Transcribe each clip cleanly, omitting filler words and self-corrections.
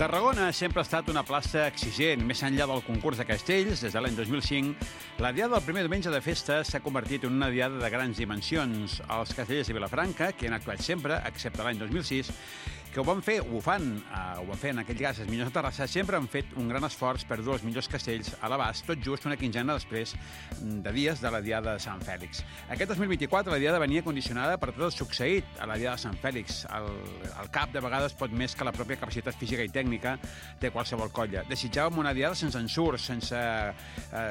Tarragona sempre ha estat una plaça exigent. Més enllà del concurs de castells, des de l'any 2005, la diada del primer diumenge de festa s'ha convertit en una diada de grans dimensions. Els castellers de Vilafranca, que han actuat sempre, excepte l'any 2006, que ho van fer, ho van fer en aquell cas els millors de Terrassa, sempre han fet un gran esforç per dur els millors castells a l'abast, tot just una quinzena després de dies de la Diada de Sant Fèlix. Aquest 2024 la Diada venia condicionada per tot el succeït a la Diada de Sant Fèlix. El cap de vegades pot més que la pròpia capacitat física i tècnica de qualsevol colla. Desitjàvem una Diada sense ensurs, sense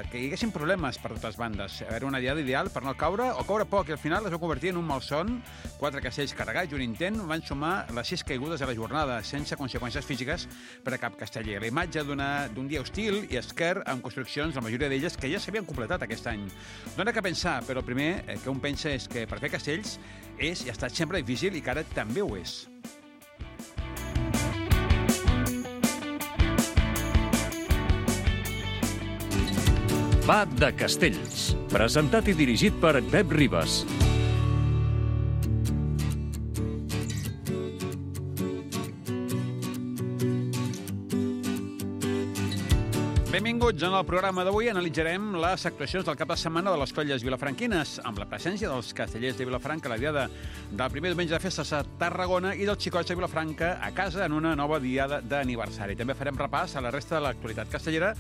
que hi haguessin problemes per totes bandes. Era una Diada ideal per no caure o caure poc, i al final es va convertir en un malson. 4 castells carregats i un intent van sumar les 6 caigudes de la jornada, sense conseqüències físiques per a cap casteller. La imatge d'un dia hostil i esquer amb construccions, la majoria d'elles, que ja s'havien completat aquest any. Dóna que pensar, però el primer que un pensa és que per fer castells és i ha estat sempre difícil i que ara també ho és. Va de Castells, presentat i dirigit per Pep Ribas. Benvinguts. En el programa d'avui analitzarem les actuacions del cap de setmana de les colles vilafranquines, amb la presència dels castellers de Vilafranca a la diada del primer diumenge de festes a Tarragona i dels xicots de Vilafranca a casa en una nova diada d'aniversari. També farem repàs a la resta de l'actualitat castellera,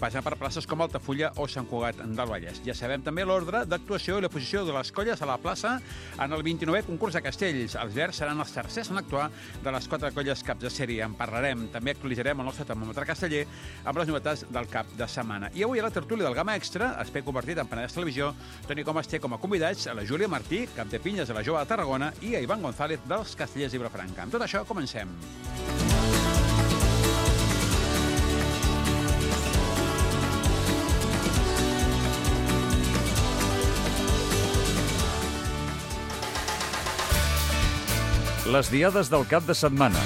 passant per places com Altafulla o Sant Cugat del Vallès. Ja sabem també l'ordre d'actuació i la posició de les colles a la plaça en el 29è concurs de castells. Els verds seran els tercers en actuar de les 4 colles caps de sèrie. En parlarem. També actualitzarem el nostre termòmetre casteller amb les novetats del cap de setmana. I avui a la tertúlia del Gamma Extra, espai convertit en Penedès Televisió, Toni Comas té com a convidats a la Júlia Martí, cap de pinyes de la Jove de Tarragona, i a Ivan González dels Castellers de Vilafranca. Amb tot això, comencem. Les diades del cap de setmana.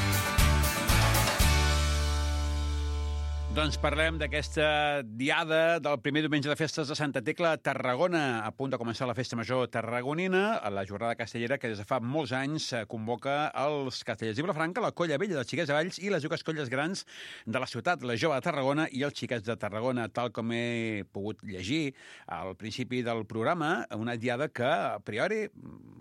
Doncs parlem d'aquesta diada del primer diumenge de festes de Santa Tecla a Tarragona. A punt de començar la festa major tarragonina, a la jornada castellera que des de fa molts anys convoca els castellers de Vilafranca, la colla vella dels Xiquets de Valls i les dues colles grans de la ciutat, la Jove de Tarragona i els Xiquets de Tarragona. Tal com he pogut llegir al principi del programa, una diada que, a priori,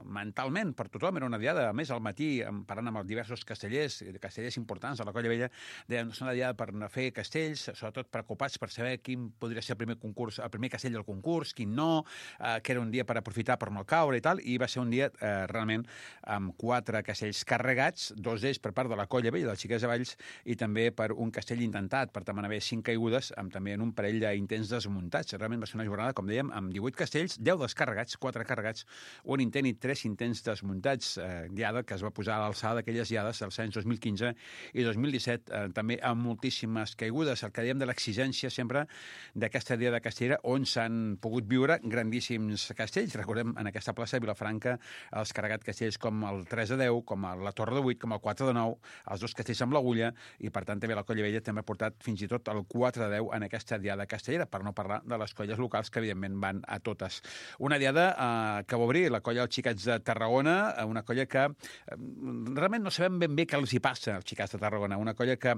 mentalment, per tothom, era una diada. A més, al matí, parlant amb els diversos castellers importants de la colla vella, deien que és una diada per fer castells, sobretot preocupats per saber quin podria ser el primer castell del concurs, quin no, que era un dia per aprofitar per no caure i tal, i va ser un dia realment amb 4 castells carregats, 2 d'ells per part de la colla vella dels Xiquets de Valls i també per un castell intentat, per tant van haver 5 caigudes, amb també en un parell d'intents desmuntats. Realment va ser una jornada, com dèiem, amb 18 castells, 10 descarregats, 4 carregats, un intent i 3 intents desmuntats, diada que es va posar a l'alçada d'aquelles diades dels anys 2015 i 2017, també amb moltíssimes caigudes. El que dèiem de l'exigència sempre d'aquesta diada castellera, on s'han pogut viure grandíssims castells. Recordem en aquesta plaça de Vilafranca els carregats castells com el 3 de 10, com la Torre de 8, com el 4 de 9, els 2 castells amb l'agulla, i per tant també la colla vella també ha portat fins i tot el 4 de 10 en aquesta diada castellera, per no parlar de les colles locals que evidentment van a totes. Una diada que va obrir la colla dels Xiquets de Tarragona, una colla que realment no sabem ben bé què els hi passa als Xiquets de Tarragona, una colla que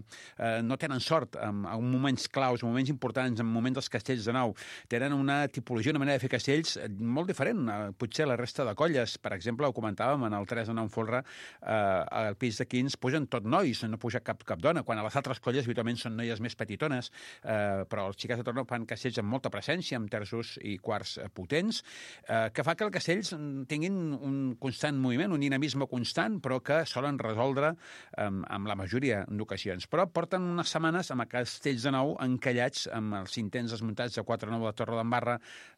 no tenen sort en moments claus, en moments importants, en moments dels castells de nou. Tenen una tipologia, una manera de fer castells molt diferent, potser la resta de colles. Per exemple, ho comentàvem en el 3 de 9 Folre, al pis de Quins pugen tot nois, no puja cap dona, quan a les altres colles habitualment són noies més petitones, però els Xiquets de Tarragona fan castells amb molta presència, amb terços i quarts potents, que fa que els castells tinguin un constant moviment, un dinamisme constant, però que solen resoldre amb la majoria d'ocasions. Però porten unes setmanes amb castells de nou encallats amb els intents desmuntats de 4 de 9 de la Torre d'Embarra,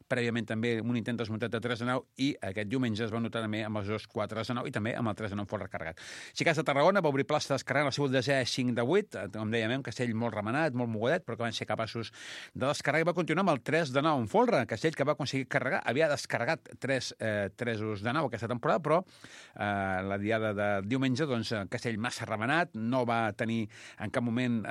prèviament també un intent desmuntat de 3 de 9, i aquest diumenge es va notar també amb els 2 4 de 9 i també amb el 3 de 9 fort recarregat. Xiquets de Tarragona va obrir plaça descarregant el seu desè 5 de 8, com dèiem, un castell molt remenat, molt mogudet, però que van ser capaços de descarregar, i va continuar amb el 3 de 9 en Folre, castell que va aconseguir carregar, havia descarregat 3 tresos de 9 aquesta temporada, però la diada de diumenge, doncs, castell massa remenat, no va tenir en cap moment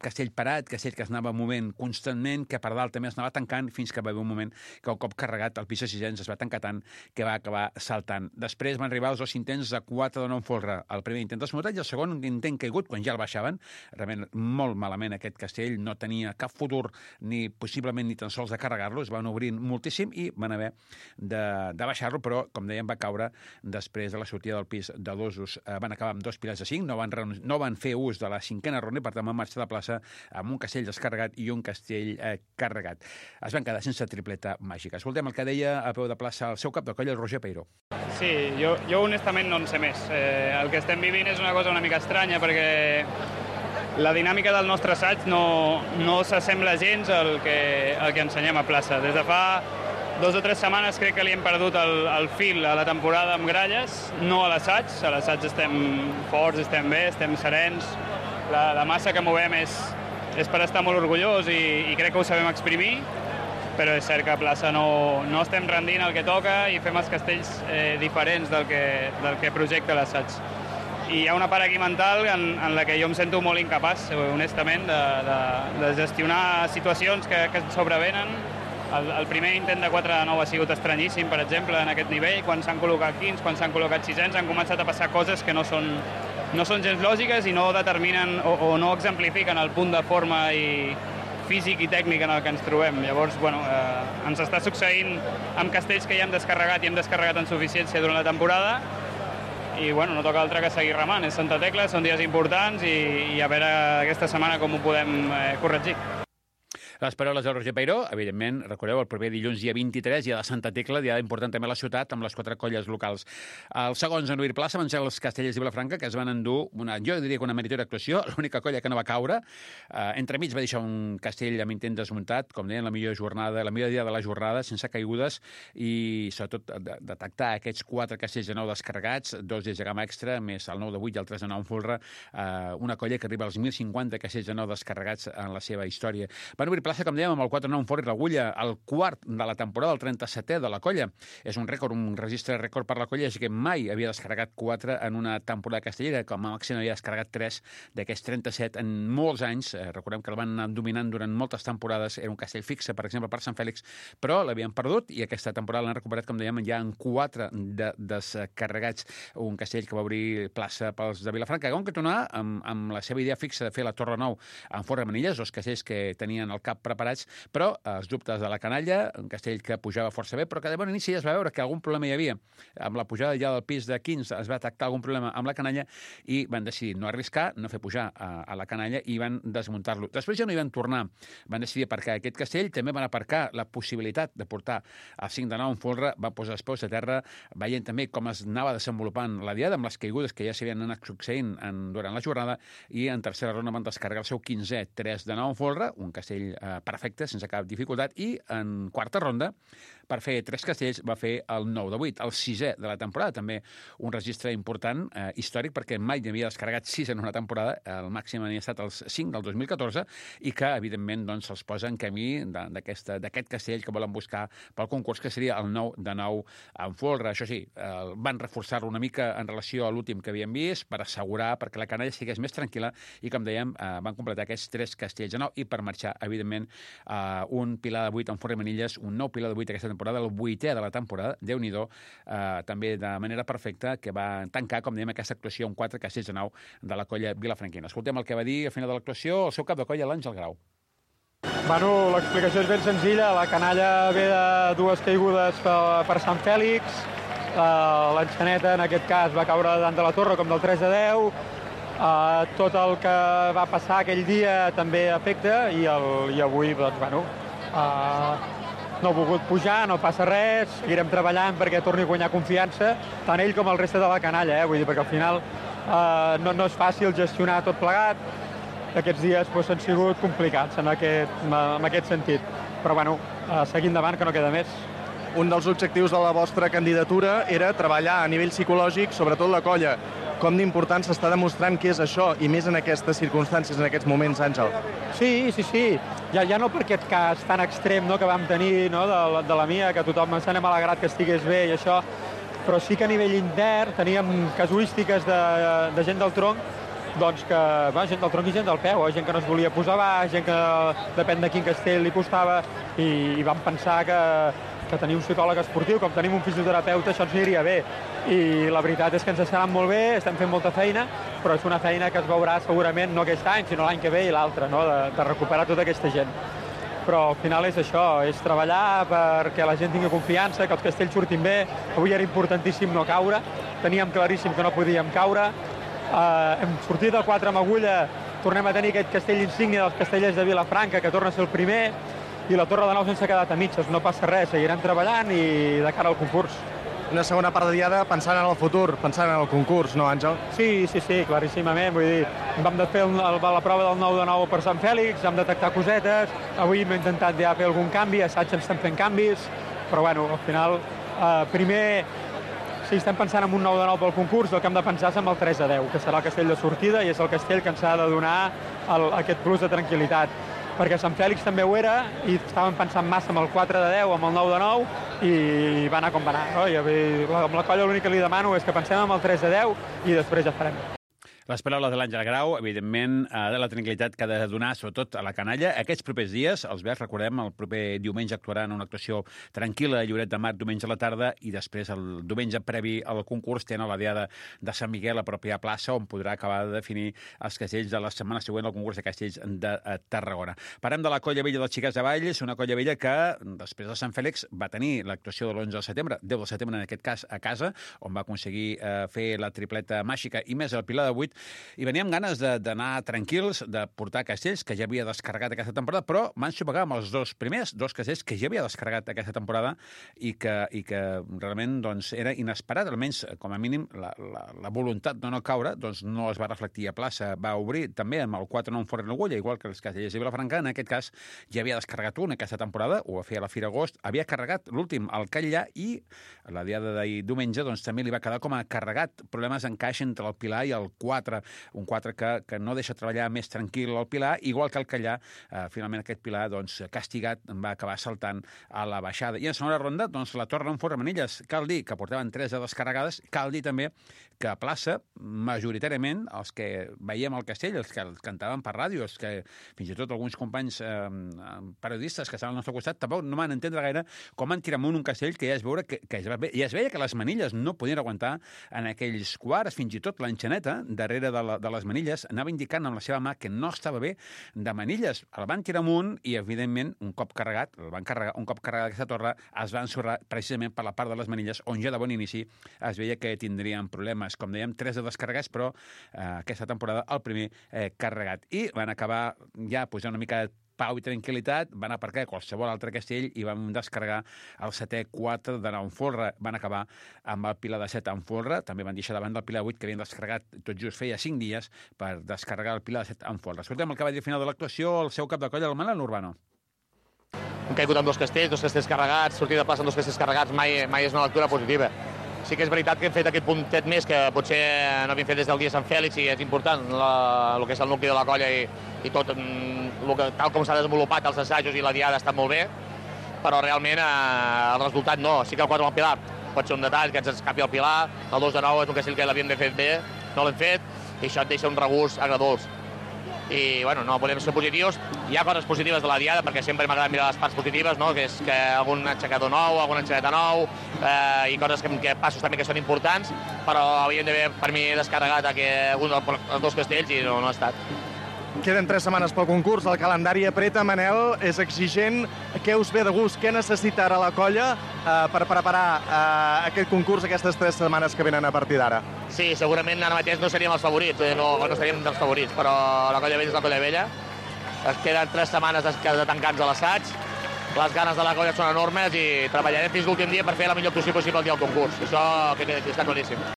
castell per parat, castell que es anava movent constantment, que per dalt també es anava tancant, fins que va haver un moment que un cop carregat el pis de sisens es va tancar tant que va acabar saltant. Després van arribar els 2 intents de 4 de nou en folre. El primer intent desmuntat i el segon intent caigut quan ja el baixaven. Realment molt malament aquest castell, no tenia cap futur ni possiblement ni tan sols de carregar-lo, es van obrint moltíssim i van haver de baixar-lo, però com dèiem va caure després de la sortida del pis de 2 usos. Van acabar amb 2 pilars de 5, no van fer ús de la 5a ronda i per tant van marxar de plaça amb un castell descarregat i un castell carregat. Es van quedar sense tripleta màgica. Escoltem el que deia a peu de plaça el seu cap de colla, el Roger Peiró. Sí, jo honestament no en sé més. El que estem vivint és una cosa una mica estranya perquè la dinàmica del nostre assaig no s'assembla gens al que ensenyem a plaça. Des de fa 2 o 3 setmanes crec que li hem perdut el fil a la temporada amb gralles, no a l'assaig. A l'assaig estem forts, estem bé, estem serens. La massa que movem és per estar molt orgullós i crec que ho sabem exprimir, però és cert que a plaça no estem rendint el que toca i fem els castells diferents del que projecta l'assaig. I hi ha una part aquí mental en la que jo em sento molt incapaç, honestament, de gestionar situacions que ens sobrevenen. El primer intent de 4 de 9 ha sigut estranyíssim, per exemple, en aquest nivell. Quan s'han col·locat quins, quan s'han col·locat sisens, han començat a passar coses que no són gens lògiques i no determinen o no exemplifiquen el punt de forma i físic i tècnic en el que ens trobem. Llavors, ens està succeint amb castells que ja hem descarregat i hem descarregat en suficiència durant la temporada i no toca altre que seguir remant. És Santa Tecla, són dies importants i a veure aquesta setmana com ho podem corregir. Les paraules del Roger Peiró, evidentment, recordeu, el proper dilluns, dia 23, dia de Santa Tecla, dia important també a la ciutat, amb les 4 colles locals. Els segons en obrir plaça van ser els Castellers de Vilafranca, que es van endur, jo diria que una meritòria actuació, l'única colla que no va caure. Entremig va deixar un castell amb intent desmuntat, com deien, la millor dia de la jornada, sense caigudes, i sobretot detectar aquests 4 castells de 9 descarregats, 2 des de gamma extra, més el 9 de 8 i el 3 de 9 en folre, una colla que arriba als 1.050 castells de 9 descarregats en la seva història. Van obrir plaça, com dèiem, amb el 4-9 en folre i l'agulla, el quart de la temporada, el 37è de la colla. És un rècord, un registre rècord per la colla, així que mai havia descarregat 4 en una temporada castellera, com a màxim havia descarregat 3 d'aquests 37 en molts anys. Recordem que el van anar dominant durant moltes temporades, era un castell fixe, per exemple, per Sant Fèlix, però l'havien perdut i aquesta temporada l'han recuperat, com dèiem, ja en 4 descarregats, un castell que va obrir plaça pels de Vilafranca, que van continuar amb la seva idea fixa de fer la Torre 9 en Forra Manilles, 2 castells que tenien el cap preparats, però els dubtes de la canalla, un castell que pujava força bé, però que de bon inici ja es va veure que algun problema hi havia. Amb la pujada ja del pis de 15 es va detectar algun problema amb la canalla i van decidir no arriscar, no fer pujar a la canalla i van desmuntar-lo. Després ja no hi van tornar. Van decidir aparcar aquest castell, també van aparcar la possibilitat de portar el 5 de 9 en folre, van posar els peus a terra, veient també com es anava desenvolupant la diada amb les caigudes que ja s'havien anat succeint durant la jornada, i en tercera ronda van descarregar el seu 15è 3 de 9 en folre, un castell perfecte, sense cap dificultat, i en quarta ronda, per fer 3 castells, va fer el 9 de 8, el 6è de la temporada, també un registre important, històric, perquè mai n'havia descarregat 6 en una temporada, el màxim havia estat els 5 del 2014, i que, evidentment, doncs, se'ls posa en camí d'aquest castell que volen buscar pel concurs, que seria el 9 de 9 en folre. Això sí, van reforçar-lo una mica en relació a l'últim que havíem vist, per assegurar, perquè la canalla estigués més tranquil·la, i, com dèiem, van completar aquests 3 castells de 9, i per marxar, evidentment, un pilar de 8 en Forra Manilles, un nou pilar de 8 aquesta temporada, el 8è de la temporada, Déu-n'hi-do, també de manera perfecta, que va tancar, com dèiem, aquesta actuació amb 4 castells de 9 de la colla vilafranquina. Escoltem el que va dir a final de l'actuació el seu cap de colla, l'Àngel Grau. L'explicació és ben senzilla. La canalla ve de 2 caigudes per Sant Fèlix, l'enxaneta, en aquest cas, va caure davant de la torre, com del 3 de 10, tot el que va passar aquell dia també afecta, i avui, no ha volgut pujar, no passa res, seguirem treballant perquè torni a guanyar confiança, tant ell com el reste de la canalla, vull dir, perquè al final no és fàcil gestionar tot plegat. Aquests dies han sigut complicats en aquest sentit, però seguir endavant, que no queda més. Un dels objectius de la vostra candidatura era treballar a nivell psicològic, sobretot la colla. Com d'important s'està demostrant que és això, i més en aquestes circumstàncies, en aquests moments, Àngel? Sí. Ja no per aquest cas tan extrem que vam tenir de la Mia, que tothom ens n'hem alegrat que estigués bé i això, però sí que a nivell intern teníem casuístiques de gent del tronc doncs que gent del tronc i gent del peu, gent que no es volia posar baix, gent que depèn de quin castell li costava, i vam pensar que tenir un psicòleg esportiu, com tenim un fisioterapeuta, això ens aniria bé. I la veritat és que ens estaran molt bé, estem fent molta feina, però és una feina que es veurà segurament no aquest any, sinó l'any que ve i l'altre, no? de recuperar tota aquesta gent. Però al final és això, és treballar perquè la gent tingui confiança, que els castells surtin bé. Avui era importantíssim no caure, teníem claríssim que no podíem caure. Hem sortit del 4 amb agulla, tornem a tenir aquest castell insígnia dels castellers de Vilafranca, que torna a ser el primer, i la Torre de Nou sense quedat a mitges. No passa res, seguirem treballant i de cara al concurs. Una segona part de diada pensant en el futur, pensant en el concurs, no, Àngel? Sí, claríssimament. Vull dir, vam de fer la prova del 9 de 9 per Sant Fèlix, vam detectar cosetes, avui hem intentat ja fer algun canvi, assaig estem fent canvis, però bueno, al final, primer, si estem pensant en un 9 de 9 pel concurs, el que hem de pensar és en el 3 de 10, que serà el castell de sortida i és el castell que ens ha de donar aquest plus de tranquil·litat. Perquè Sant Fèlix també ho era i estàvem pensant massa amb el 4 de 10, amb el 9 de 9 i va anar com va anar. No? Amb la colla l'únic que li demano és que pensem en el 3 de 10 i després ja farem. Les paraules de l'Àngel Grau, evidentment, de la tranquil·litat que ha de donar, sobretot a la canalla. Aquests propers dies, els Verds, recordem, el proper diumenge actuaran en una actuació tranquil·la a Lloret de Mar, diumenge a la tarda, i després, el diumenge previ al concurs, tenen la diada de Sant Miquel, a pròpia plaça, on podrà acabar de definir els castells de la setmana següent al concurs de castells de Tarragona. Parlem de la Colla Vella dels Xiquets de Valls, una Colla Vella que, després de Sant Fèlix, va tenir l'actuació de l'11 de setembre, 10 de setembre en aquest cas, a casa, on va aconseguir fer la tripleta màgica i més el Pilar de 8, i veníem ganes d'anar tranquils, de portar castells que ja havia descarregat aquesta temporada, però van sopegar amb els dos castells que ja havia descarregat aquesta temporada i que realment doncs, era inesperat, almenys com a mínim la voluntat de no caure doncs, no es va reflectir a plaça, va obrir també amb el 4-9 fora en l'agulla, igual que els castellers de Vilafranca, en aquest cas ja havia descarregat un aquesta temporada, ho va fer a la Fira Agost, havia carregat l'últim al Catllà i la diada d'ahir diumenge doncs, també li va quedar com a carregat, problemes d'encaix entre el Pilar i el 4, un 4 que no deixa treballar més tranquil el Pilar, igual que el Catllà, finalment aquest Pilar, doncs, castigat, va acabar saltant a la baixada. I en segona ronda, doncs, la Torre en fora Manilles, cal dir que portaven 3 de descarregades, cal dir també que a plaça, majoritàriament, els que veiem el castell, els que el cantaven per ràdio, els que fins i tot alguns companys periodistes que estaven al nostre costat, tampoc no van entendre gaire com van tirar amunt un castell que ja es veia que les manilles no podien aguantar en aquells quarts, fins i tot l'enxaneta, darrere de les manilles, anava indicant amb la seva mà que no estava bé de manilles. El van tirar amunt i, evidentment, un cop carregat aquesta torre, es va ensorrar precisament per la part de les manilles, on ja de bon inici es veia que tindrien problemes. Com dèiem, 3 de descarregats, però aquesta temporada el primer carregat. I van acabar ja posant una mica de pau i tranquil·litat, van aparcar qualsevol altre castell i van descarregar el 7è 4 de 9 en folre. Van acabar amb el Pilar de 7 en folre, també van deixar davant del Pilar 8, que havien descarregat tot just feia 5 dies per descarregar el Pilar de 7 en folre. Escoltem el que va dir al final de l'actuació el seu cap de colla, el Manel Urbano. Hem caigut amb dos castells carregats, sortir de plaça amb dos castells carregats mai és una lectura positiva. Sí que és veritat que hem fet aquest puntet més que potser no havíem fet des del dia de Sant Fèlix i és important el que és el nucli de la colla i tot tal com s'ha desenvolupat els assajos i la diada està molt bé, però realment el resultat no. Sí que el 4 amb el Pilar pot ser un detall, que ens escapi el Pilar, el 2 de 9 és un castell que l'havíem de fer bé, no l'hem fet, i això et deixa un regust agradolç. I bueno, no podem ser positius. Hi ha coses positives de la diada, perquè sempre m'agrada mirar les parts positives, no? Que és que algun aixecador nou, alguna enxaneta nou, i coses que passos també que són importants, però havíem d'haver, per mi, descarregat els dos castells i no ha estat. Queden 3 setmanes pel concurs, el calendari apreta, Manel, és exigent. Què us ve de gust? Què necessita ara la colla per preparar aquest concurs aquestes 3 setmanes que venen a partir d'ara? Sí, segurament ara mateix no seríem els favorits, no estaríem dels favorits, però la colla vella és la colla vella. Es queden 3 setmanes de tancants a l'assaig, les ganes de la colla són enormes i treballarem fins l'últim dia per fer la millor actuació possible el dia del concurs. Això que està claríssim.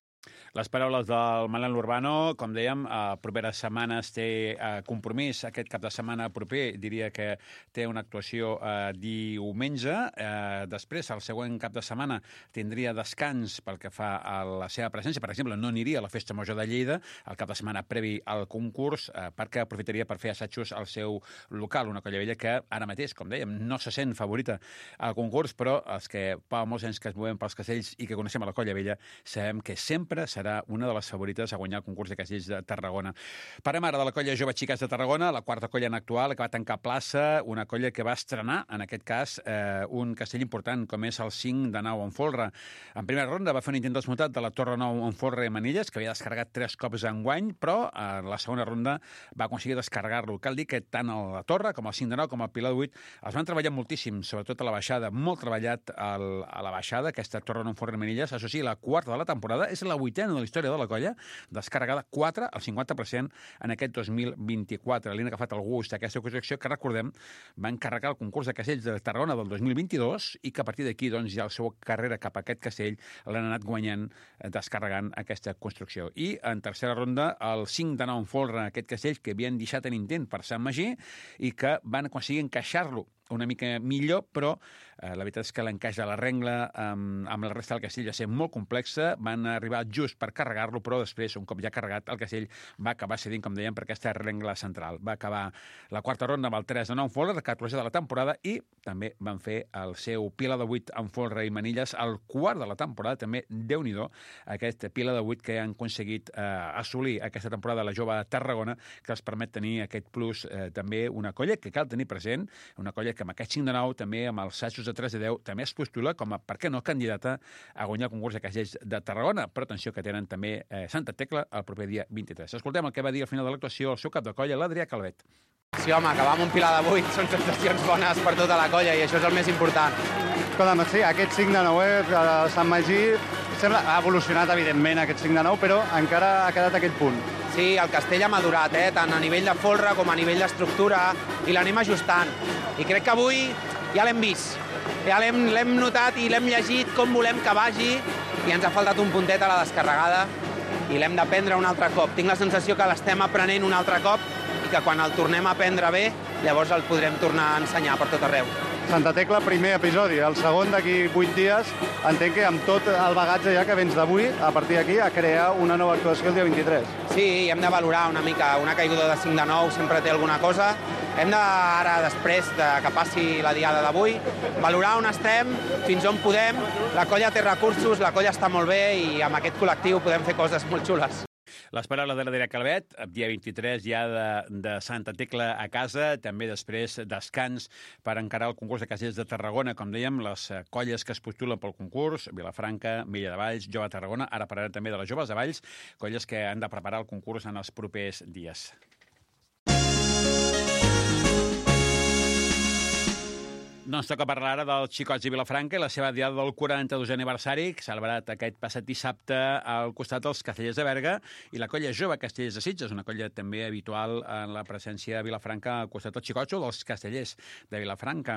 Les paraules del Manel Urbano, com dèiem, properes setmanes té compromís. Aquest cap de setmana proper diria que té una actuació diumenge. Després, el següent cap de setmana, tindria descans pel que fa a la seva presència. Per exemple, no aniria a la Festa Major de Lleida el cap de setmana previ al concurs perquè aprofitaria per fer assajos al seu local. Una colla vella que ara mateix, com dèiem, no se sent favorita al concurs, però els que fa molts anys que es movem pels castells i que coneixem a la colla vella sabem que sempre serà serà una de les favorites a guanyar el concurs de castells de Tarragona. Parem ara de la colla Jove Xiques de Tarragona, la quarta colla en actual, que va tancar plaça, una colla que va estrenar, en aquest cas, un castell important, com és el 5 de Nau en Folre. En primera ronda va fer un intent desmuntat de la Torre Nou en Folre i Manilles, que havia descarregat 3 cops enguany, però a la segona ronda va aconseguir descarregar-lo. Cal dir que tant a la Torre, com el 5 de Nau, com el Pilar de 8, els van treballar moltíssim, sobretot a la baixada, molt treballat a la baixada, aquesta Torre Nou en Folre i Manilles. Això sí, la quarta de la temporada, és la 8a de la història de la colla, descarregada 4 al 50% en aquest 2024. Li han agafat el gust d'aquesta construcció que, recordem, va encarregar el concurs de castells de Tarragona del 2022 i que a partir d'aquí doncs, ja la seva carrera cap a aquest castell l'han anat guanyant, descarregant aquesta construcció. I en tercera ronda, el 5 de Nau en Folre, aquest castell que havien deixat en intent per Sant Magí i que van aconseguir encaixar-lo una mica millor, però la veritat és que l'encaix de la rengla amb la resta del castell va ser molt complexa, van arribar just per carregar-lo, però després, un cop ja carregat, el castell va acabar cedint, com dèiem, per aquesta rengla central. Va acabar la quarta ronda amb el 3 de Nau en Folre, el 14è de la temporada, i també van fer el seu Pilar de 8 en Folre i Manilles, el quart de la temporada, també, Déu-n'hi-do, aquest Pilar de 8 que han aconseguit assolir aquesta temporada la Jove Tarragona, que els permet tenir aquest plus, també una colla que cal tenir present, una colla que amb aquest 5 de Nau, també amb els assajos de 3 de 10, també es postula com a, per què no, candidata a guanyar el concurs de castells de Tarragona. Però atenció que tenen també Santa Tecla el proper dia 23. Escoltem el que va dir al final de l'actuació el seu cap de colla, l'Adrià Calvet. Sí, home, acabar amb un Pilar de 8 són sensacions bones per tota la colla i això és el més important. Escolta'm, sí, aquest 5 de 9 a Sant Magí ha evolucionat, evidentment, aquest 5 de 9, però encara ha quedat aquest punt. Sí, el castell ha madurat, tant a nivell de folre com a nivell d'estructura, i l'anem ajustant. I crec que avui ja l'hem vist, ja l'hem notat i l'hem llegit com volem que vagi, i ens ha faltat un puntet a la descarregada i l'hem d'aprendre un altre cop. Tinc la sensació que l'estem aprenent un altre cop i que quan el tornem a aprendre bé, llavors el podrem tornar a ensenyar per tot arreu. Santa Tecla, primer episodi. El segon d'aquí 8 dies, entenc que amb tot el bagatge ja que vens d'avui, a partir d'aquí, a crear una nova actuació el dia 23. Sí, hem de valorar una mica. Una caiguda de 5 de 9 sempre té alguna cosa. Hem de, ara, després que passi la diada d'avui, valorar on estem, fins on podem. La colla té recursos, la colla està molt bé i amb aquest col·lectiu podem fer coses molt xules. Les paraules de l'Adrià Calvet, dia 23 ja de Santa Tecla a casa, també després descans per encarar el concurs de castells de Tarragona. Com dèiem, les colles que es postulen pel concurs, Vilafranca, Vella de Valls, Jove Tarragona, ara parlarem també de les Joves de Valls, colles que han de preparar el concurs en els propers dies. Doncs toca parlar ara dels Xicots de Vilafranca i la seva diada del 42è aniversari, celebrat aquest passat dissabte al costat dels Castellers de Berga, i la colla Jove Castellers de Sitges, una colla també habitual en la presència a Vilafranca al costat dels Xicots o dels Castellers de Vilafranca.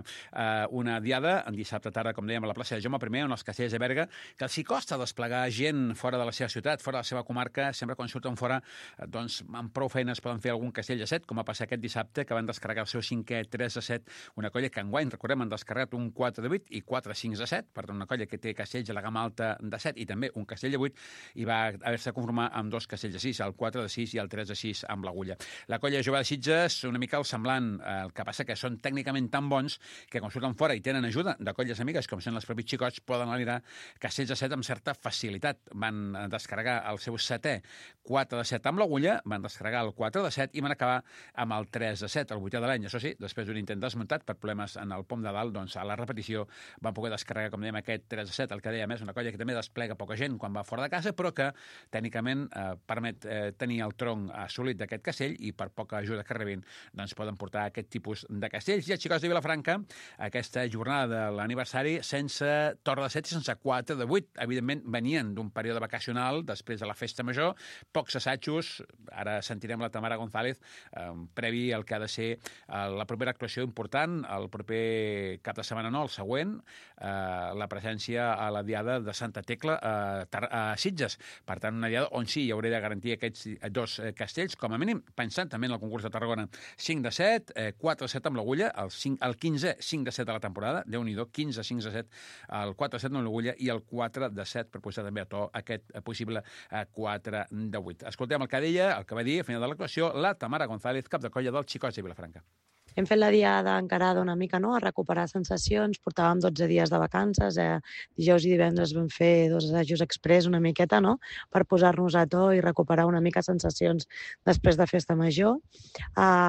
Una diada en dissabte tarda, com dèiem, a la plaça de Jaume I, on els Castellers de Berga, que els hi costa desplegar gent fora de la seva ciutat, fora de la seva comarca, sempre quan surten fora, doncs amb prou feines poden fer algun castell de 7, com va passar aquest dissabte, que van descarregar el seu 5è 3 de 7, una colla que enguany, recordem, han descarregat un 4 de 8 i 4 5 de 7, per tant una colla que té castells a la gamma alta de 7 i també un castell de 8, i va haver-se de conformar amb 2 castells de 6, el 4 de 6 i el 3 de 6 amb l'agulla. La colla Jove de Sitges, una mica el semblant, el que passa que són tècnicament tan bons que quan surten fora i tenen ajuda de colles amigues, com són els propis Xicots, poden alirar castells de 7 amb certa facilitat. Van descarregar el seu 7è 4 de 7 amb l'agulla, van descarregar el 4 de 7 i van acabar amb el 3 de 7, el 8è de l'any. Això sí, després d'un intent desmuntat per problemes en el pom de dalt, doncs a la repetició van poder descarregar, com dèiem, aquest 3 de 7, el que dèiem és una colla que també desplega poca gent quan va fora de casa, però que tècnicament permet tenir el tronc assolit d'aquest castell i per poca ajuda que rebin, doncs poden portar aquest tipus de castells. I els Xicots de Vilafranca, aquesta jornada de l'aniversari, sense Torre de 7 i sense 4 de 8. Evidentment, venien d'un període vacacional després de la festa major, pocs assajos, ara sentirem la Tamara González, previ al que ha de ser la propera actuació important, el proper cap de setmana no, el següent, la presència a la diada de Santa Tecla a Sitges. Per tant, una diada on sí hi hauré de garantir aquests 2 castells, com a mínim, pensant també en el concurs de Tarragona. 5 de 7, 4 de 7 amb l'agulla, el 15è 5 de 7 de la temporada, Déu-n'hi-do, 15 5 de 7, el 4 de 7 amb l'agulla i el 4 de 7 per posar també a to aquest possible 4 de 8. Escoltem el que deia, el que va dir a final de l'actuació, la Tamara González, cap de colla dels Xicots de Vilafranca. Hem fet la diada encarada una mica, no?, a recuperar sensacions. Portàvem 12 dies de vacances, dijous i divendres vam fer 2 assajos express una miqueta, no?, per posar-nos a to i recuperar una mica sensacions després de festa major.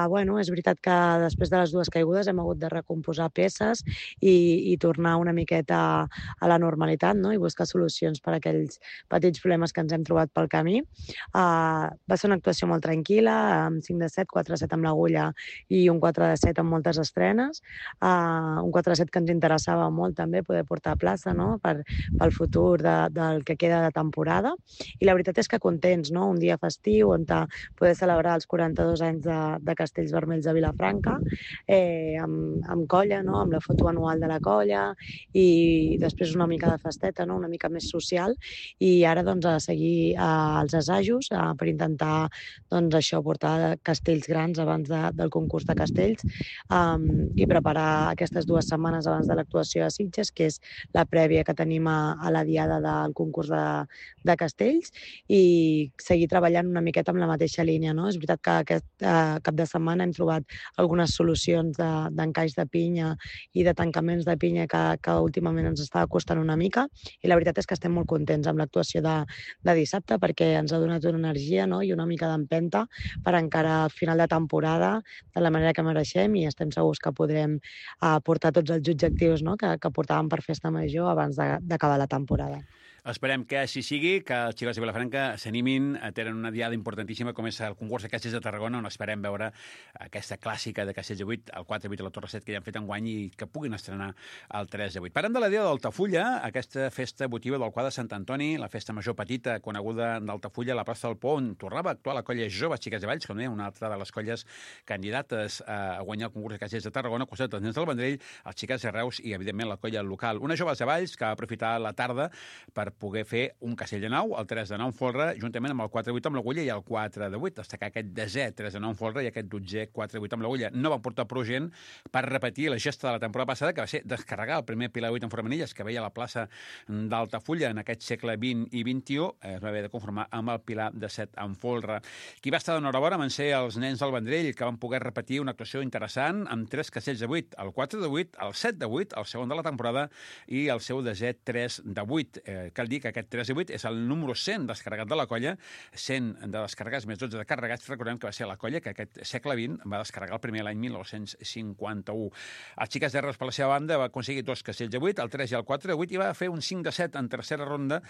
Bueno, és veritat que després de les 2 caigudes hem hagut de recomposar peces i tornar una miqueta a la normalitat, no?, i buscar solucions per a aquells petits problemes que ens hem trobat pel camí. Va ser una actuació molt tranquil·la, amb 5 de 7, 4 de 7 amb l'agulla i un 4 de 7 amb moltes estrenes. Un 4 de 7 que ens interessava molt també poder portar a plaça, no?, pel futur del que queda de temporada. I la veritat és que contents, no?, un dia festiu on poder celebrar els 42 anys de Castells Vermells de Vilafranca, amb colla, no?, amb la foto anual de la colla i després una mica de festeta, no?, una mica més social, i ara doncs a seguir els assajos per intentar doncs això, portar castells grans abans del concurs de castells i preparar aquestes 2 setmanes abans de l'actuació a Sitges, que és la prèvia que tenim a la diada del concurs de castells, i seguir treballant una miqueta amb la mateixa línia, no? És veritat que aquest cap de setmana hem trobat algunes solucions d'encaix de pinya i de tancaments de pinya que últimament ens estava costant una mica, i la veritat és que estem molt contents amb l'actuació de dissabte perquè ens ha donat una energia, no?, i una mica d'empenta per encarar el final de temporada de la manera que mereixem, i estem segurs que podrem portar tots els objectius, no?, que portàvem per festa major abans d'acabar la temporada. Esperem que així sigui, que els xicots de Vilafranca s'animin, tenen una diada importantíssima com és el concurs de Castells de Tarragona, on esperem veure aquesta clàssica de Castells de 8, el 4 de 8 a la Torre 7 que ja han fet enguany i que puguin estrenar el 3 de 8. Parlem de la diada d'Altafulla, aquesta festa votiva del quadre de Sant Antoni, la festa major petita coneguda d'Altafulla a la plaça del Pou, on tornava a actuar la colla Joves Xiques de Valls, com deia, una altra de les colles candidates a guanyar el concurs de Castells de Tarragona, costat dels nens del Vendrell, els Xiques de Reus i, evidentment, la colla local. Una Joves de Valls que va aprofitar la tarda per poder fer un castell de 9, el 3 de 9 en folre, juntament amb el 4 de 8 amb l'agulla i el 4 de 8, destacar aquest 10è 3 de 9 en folre i aquest 12è 4 de 8 amb l'agulla. No van portar prou gent per repetir la gesta de la temporada passada, que va ser descarregar el primer pilar de 8 en formanilles que veia a la plaça d'Altafulla en aquest segle XX i XXI, es va haver de conformar amb el pilar de 7 en folre. Qui va estar d'enhorabona van ser els nens del Vendrell, que van poder repetir una actuació interessant amb 3 castells de 8, el 4 de 8, el 7 de 8, el segon de la temporada, i el seu 10è 3 de 8. Cal dir que aquest 3 de 8 és el número 100 descarregat de la colla, 100 de descarregats més 12 de carregats. Recordem que va ser la colla que aquest segle XX va descarregar el primer l'any 1951. Els Xiques de Reus, per la seva banda, va aconseguir 2 castells de 8, el 3 i el 4 de 8, i va fer un 5 de 7 en tercera ronda,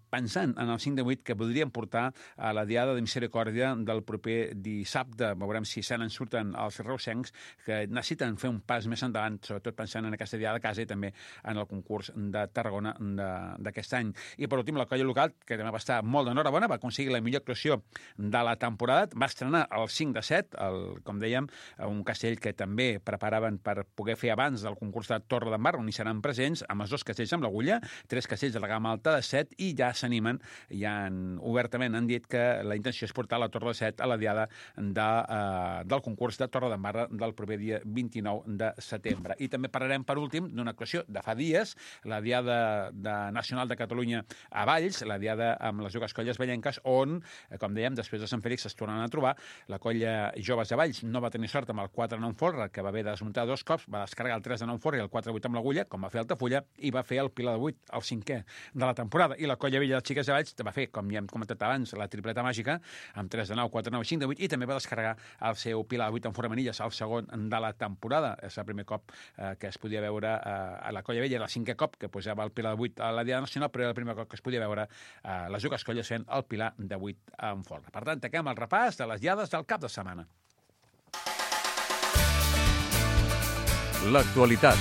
pensant en el 5 de 8 que podrien portar a la diada de Misericòrdia del proper dissabte. Veurem si se n'en surten els reusencs, que necessiten fer un pas més endavant, sobretot pensant en aquesta diada de casa i també en el concurs de Tarragona d'aquest any. I per últim, la colla local, que també va estar molt d'enhorabona, va aconseguir la millor actuació de la temporada, va estrenar el 5 de 7, com dèiem, un castell que també preparaven per poder fer abans del concurs de Torre d'en Mar, on hi seran presents, amb els 2 castells amb l'agulla, 3 castells de la gamma alta de 7, i ja s'animen, obertament han dit que la intenció és portar la Torre de 7 a la diada del concurs de Torre d'en Mar del proper dia 29 de setembre. I també parlarem, per últim, d'una actuació de fa dies, la diada nacional de Catalunya a Valls, la diada amb les dues colles vallenques, on, com dèiem, després de Sant Fèlix es tornen a trobar. La colla Joves de Valls no va tenir sort amb el 4 de 9 en folre, que va haver de desmuntar 2 cops, va descarregar el 3 de 9 en folre i el 4 de 8 amb l'agulla, com va fer Altafulla, i va fer el pilar de 8, el 5è de la temporada. I la colla vella de Xiques de Valls va fer, com ja hem comentat abans, la tripleta màgica, amb 3 de 9, 4 de 9 i 5 de 8, i també va descarregar el seu pilar de 8 en formanilles, el segon de la temporada. És el primer cop que es podia veure a la colla vella, el 5è cop que posava el pilar de 8 a la diada nacional, però era el primer cop que es podia veure les dues colles fent el pilar de 8 en folre. Per tant, tanquem el repàs de les diades del cap de setmana. L'actualitat.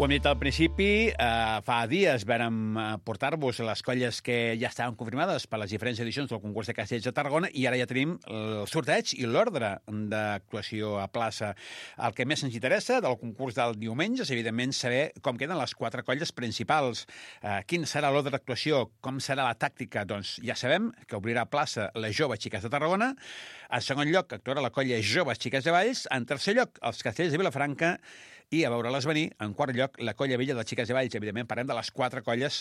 Ho hem dit al principi, fa dies vàrem portar-vos les colles que ja estaven confirmades per les diferents edicions del concurs de Castells de Tarragona, i ara ja tenim el sorteig i l'ordre d'actuació a plaça. El que més ens interessa del concurs del diumenge és, evidentment, saber com queden les 4 colles principals. Quin serà l'ordre d'actuació, com serà la tàctica? Doncs ja sabem que obrirà plaça les Joves Xiques de Tarragona. En segon lloc, actuarà la colla Joves Xiques de Valls. En tercer lloc, els Castells de Vilafranca. I a veure-les venir, en quart lloc, la Colla Vella de Xiques de Valls. Evidentment, parlem de les 4 colles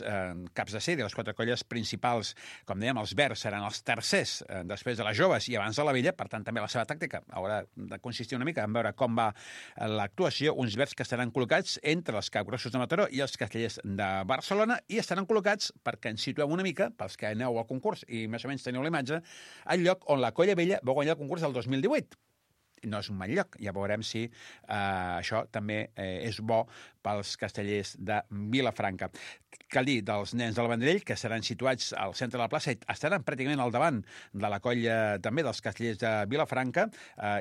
caps de sèrie, les 4 colles principals. Com dèiem, els verds seran els tercers després de les joves i abans de la Vella, per tant, també la seva tàctica haurà de consistir una mica en veure com va l'actuació. Uns verds que estaran col·locats entre els capgrossos de Mataró i els castellers de Barcelona i estaran col·locats, perquè ens situem una mica, pels que aneu al concurs i més o menys teniu la imatge, al lloc on la Colla Vella va guanyar el concurs del 2018. No és un mal lloc. Ja veurem si això també és bo pels castellers de Vilafranca. Cal dir, dels nens del Vendrell, que seran situats al centre de la plaça, estaran pràcticament al davant de la colla també dels castellers de Vilafranca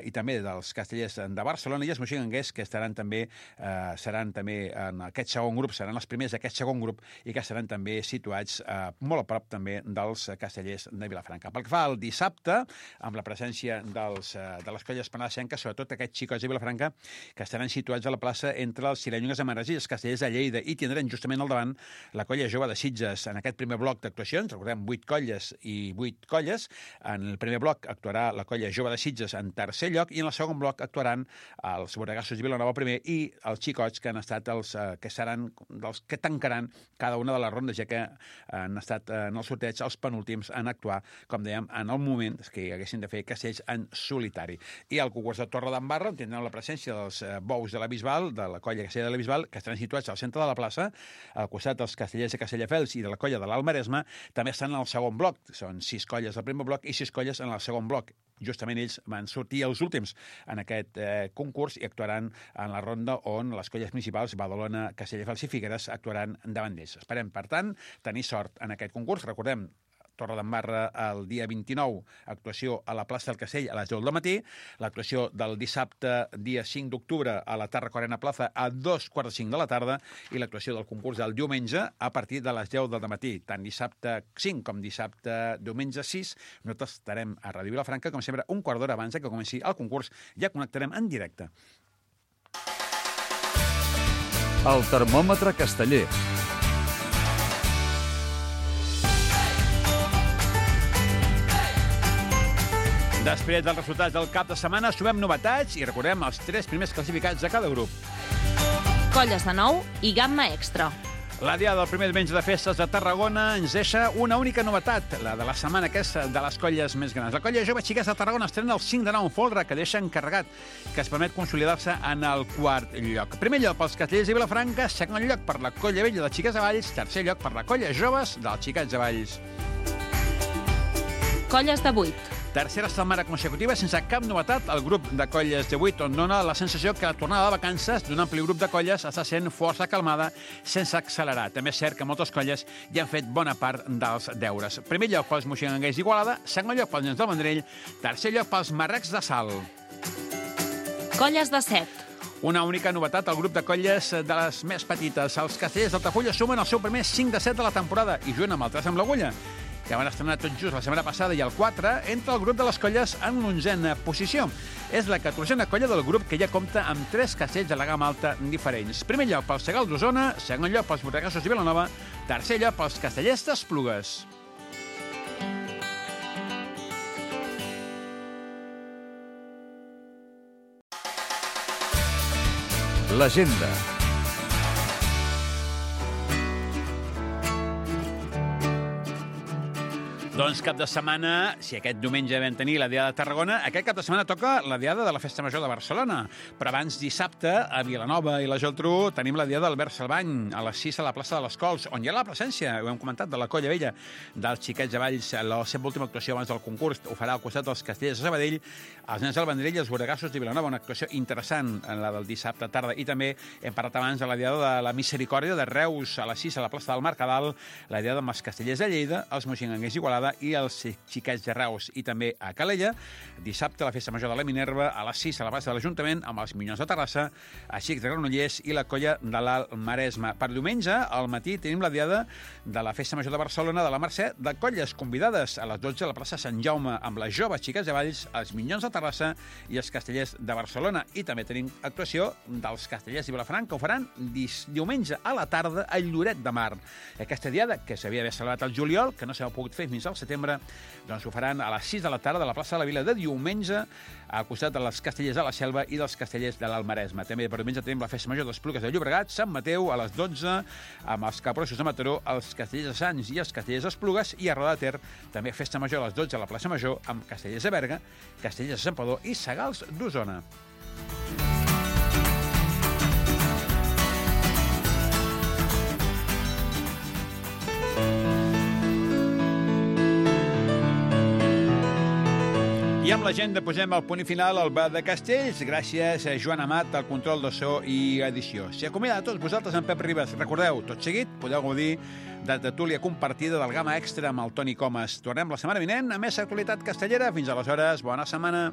i també dels castellers de Barcelona, i els moixinguenguers, que seran també en aquest segon grup, seran els primers d'aquest segon grup i que seran també situats molt a prop també dels castellers de Vilafranca. Pel que fa al dissabte, amb la presència de les colles penasenques, sobretot aquests xicots de Vilafranca, que estaran situats a la plaça entre els cirenyongues de Manresa i els castellers de Lleida, i tindran justament al davant la colla jove de Sitges. En aquest primer bloc d'actuacions, recordem, 8 colles i 8 colles. En el primer bloc actuarà la colla jove de Sitges en tercer lloc, i en el segon bloc actuaran els Borregassos de Vilanova primer i els xicots, que han estat els que seran dels que tancaran cada una de les rondes, ja que han estat en el sorteig els penúltims en actuar, com dèiem, en el moment que haguessin de fer castells en solitari. I al concurs de Torredembarra tindrem la presència dels bous de la Bisbal, de la colla castellera de la Bisbal, que estaran situats al centre de la plaça, al costat dels castellers de Castelldefels i de la colla de l'Alt Maresme. També estan en el segon bloc. Són 6 colles al primer bloc i 6 colles en el segon bloc. Justament ells van sortir els últims en aquest concurs i actuaran en la ronda on les colles principals, Badalona, Castelldefels i Figueres, actuaran davant d'ells. Esperem, per tant, tenir sort en aquest concurs. Recordem, Torredembarra el dia 29, actuació a la plaça del Castell a les 10 del matí, l'actuació del dissabte, dia 5 d'octubre, a la Tarraco-Arena Plaza a 2:45 de la tarda, i l'actuació del concurs del diumenge a partir de les 10 del matí. Tant dissabte 5 com dissabte diumenge 6, nosaltres estarem a Ràdio Vilafranca, com sempre, un quart d'hora abans que comenci el concurs. Ja connectarem en directe. El termòmetre casteller. Després dels resultats del cap de setmana, sumem novetats i recordem els 3 primers classificats de cada grup. Colles de nou i gamma extra. La diada del primer diumenge de festes de Tarragona ens deixa una única novetat, la de la setmana, que és de les colles més grans. La colla jove Xiques de Tarragona estrena el 5 de 9 en folre, que deixa encarregat, que es permet consolidar-se en el quart lloc. Primer lloc pels castellers de Vilafranca, segon lloc per la colla vella de Xiques de Valls, tercer lloc per la colla joves dels Xiquets de Valls. Colles de 8. Tercera setmana consecutiva sense cap novetat al grup de colles de 8, on dona la sensació que la tornada de vacances d'un ampli grup de colles està sent força calmada, sense accelerar. També és cert que moltes colles ja han fet bona part dels deures. Primer lloc pels moixinguenguers d'Igualada, segon lloc pels nens del Vendrell, tercer lloc pels marrecs de Salt. Colles de 7. Una única novetat al grup de colles de les més petites. Els castellers d'Altafulla sumen el seu primer 5 de 7 de la temporada i juguen amb el 3 amb l'agulla, que van estrenar tot just la setmana passada, i el 4 entra el grup de les colles en l'11a posició. És la 14a colla del grup, que ja compta amb 3 castells de la gamma alta diferents. Primer lloc pels Segal d'Osona, segon lloc pels Borregassos de Vilanova, tercer lloc pels castellers d'Esplugues. L'agenda. Doncs cap de setmana, si aquest diumenge vam tenir la Diada de Tarragona, aquest cap de setmana toca la Diada de la Festa Major de Barcelona. Però abans, dissabte, a Vilanova i la Geltrú, tenim la Diada d'Albert Salvany, a les 6 a la plaça de les Cols, on hi ha la presència, ho hem comentat, de la colla vella dels Xiquets de Valls. La seva última actuació abans del concurs ho farà al costat dels castellers de Sabadell, els nens del Vendrell i els Borregassos de Vilanova. Una actuació interessant, la del dissabte tarda. I també hem parlat abans de la Diada de la Misericòrdia de Reus, a les 6 a la plaça del Mercadal, la Diada amb els castellers de Lleida, els moixinguenguers d'Igualada i els Xiquets de Reus, i també a Calella. Dissabte, la Festa Major de la Minerva, a les 6 a la plaça de l'Ajuntament, amb els Minyons de Terrassa, a Xics de Granollers i la colla de l'Alt Maresme. Per diumenge, al matí, tenim la Diada de la Festa Major de Barcelona de la Mercè, de colles convidades a les 12 a la plaça Sant Jaume, amb les joves Xiquets de Valls, els Minyons de Terrassa i els castellers de Barcelona. I també tenim actuació dels castellers de Vilafranca, que ho faran diumenge a la tarda a Lloret de Mar. Aquesta Diada, que s'havia d'haver celebrat al juliol, que no s'ha pogut fer fins al del setembre, doncs ho faran a les 6 de la tarda a la plaça de la Vila de diumenge, al costat de les Castellers de la Selva i dels Castellers de l'Almaresme. També per diumenge tenim la Festa Major d'Esplugues de Llobregat, Sant Mateu, a les 12, amb els Capgrossos de Mataró, els Castellers de Sants i els Castellers d'Esplugues, i a Roda de Ter, també Festa Major a les 12 a la plaça Major, amb Castellers de Berga, Castellers de Santpedor i Sagals d'Osona. I amb l'agenda posem el punt final al Bar de Castells. Gràcies a Joan Amat, al control de so i edició. S'hi acomiada a tots vosaltres en Pep Ribas. Recordeu, tot seguit podeu gaudir de tertúlia compartida del Gamma Extra amb el Toni Comas. Tornem la setmana vinent a més actualitat castellera. Fins aleshores, bona setmana.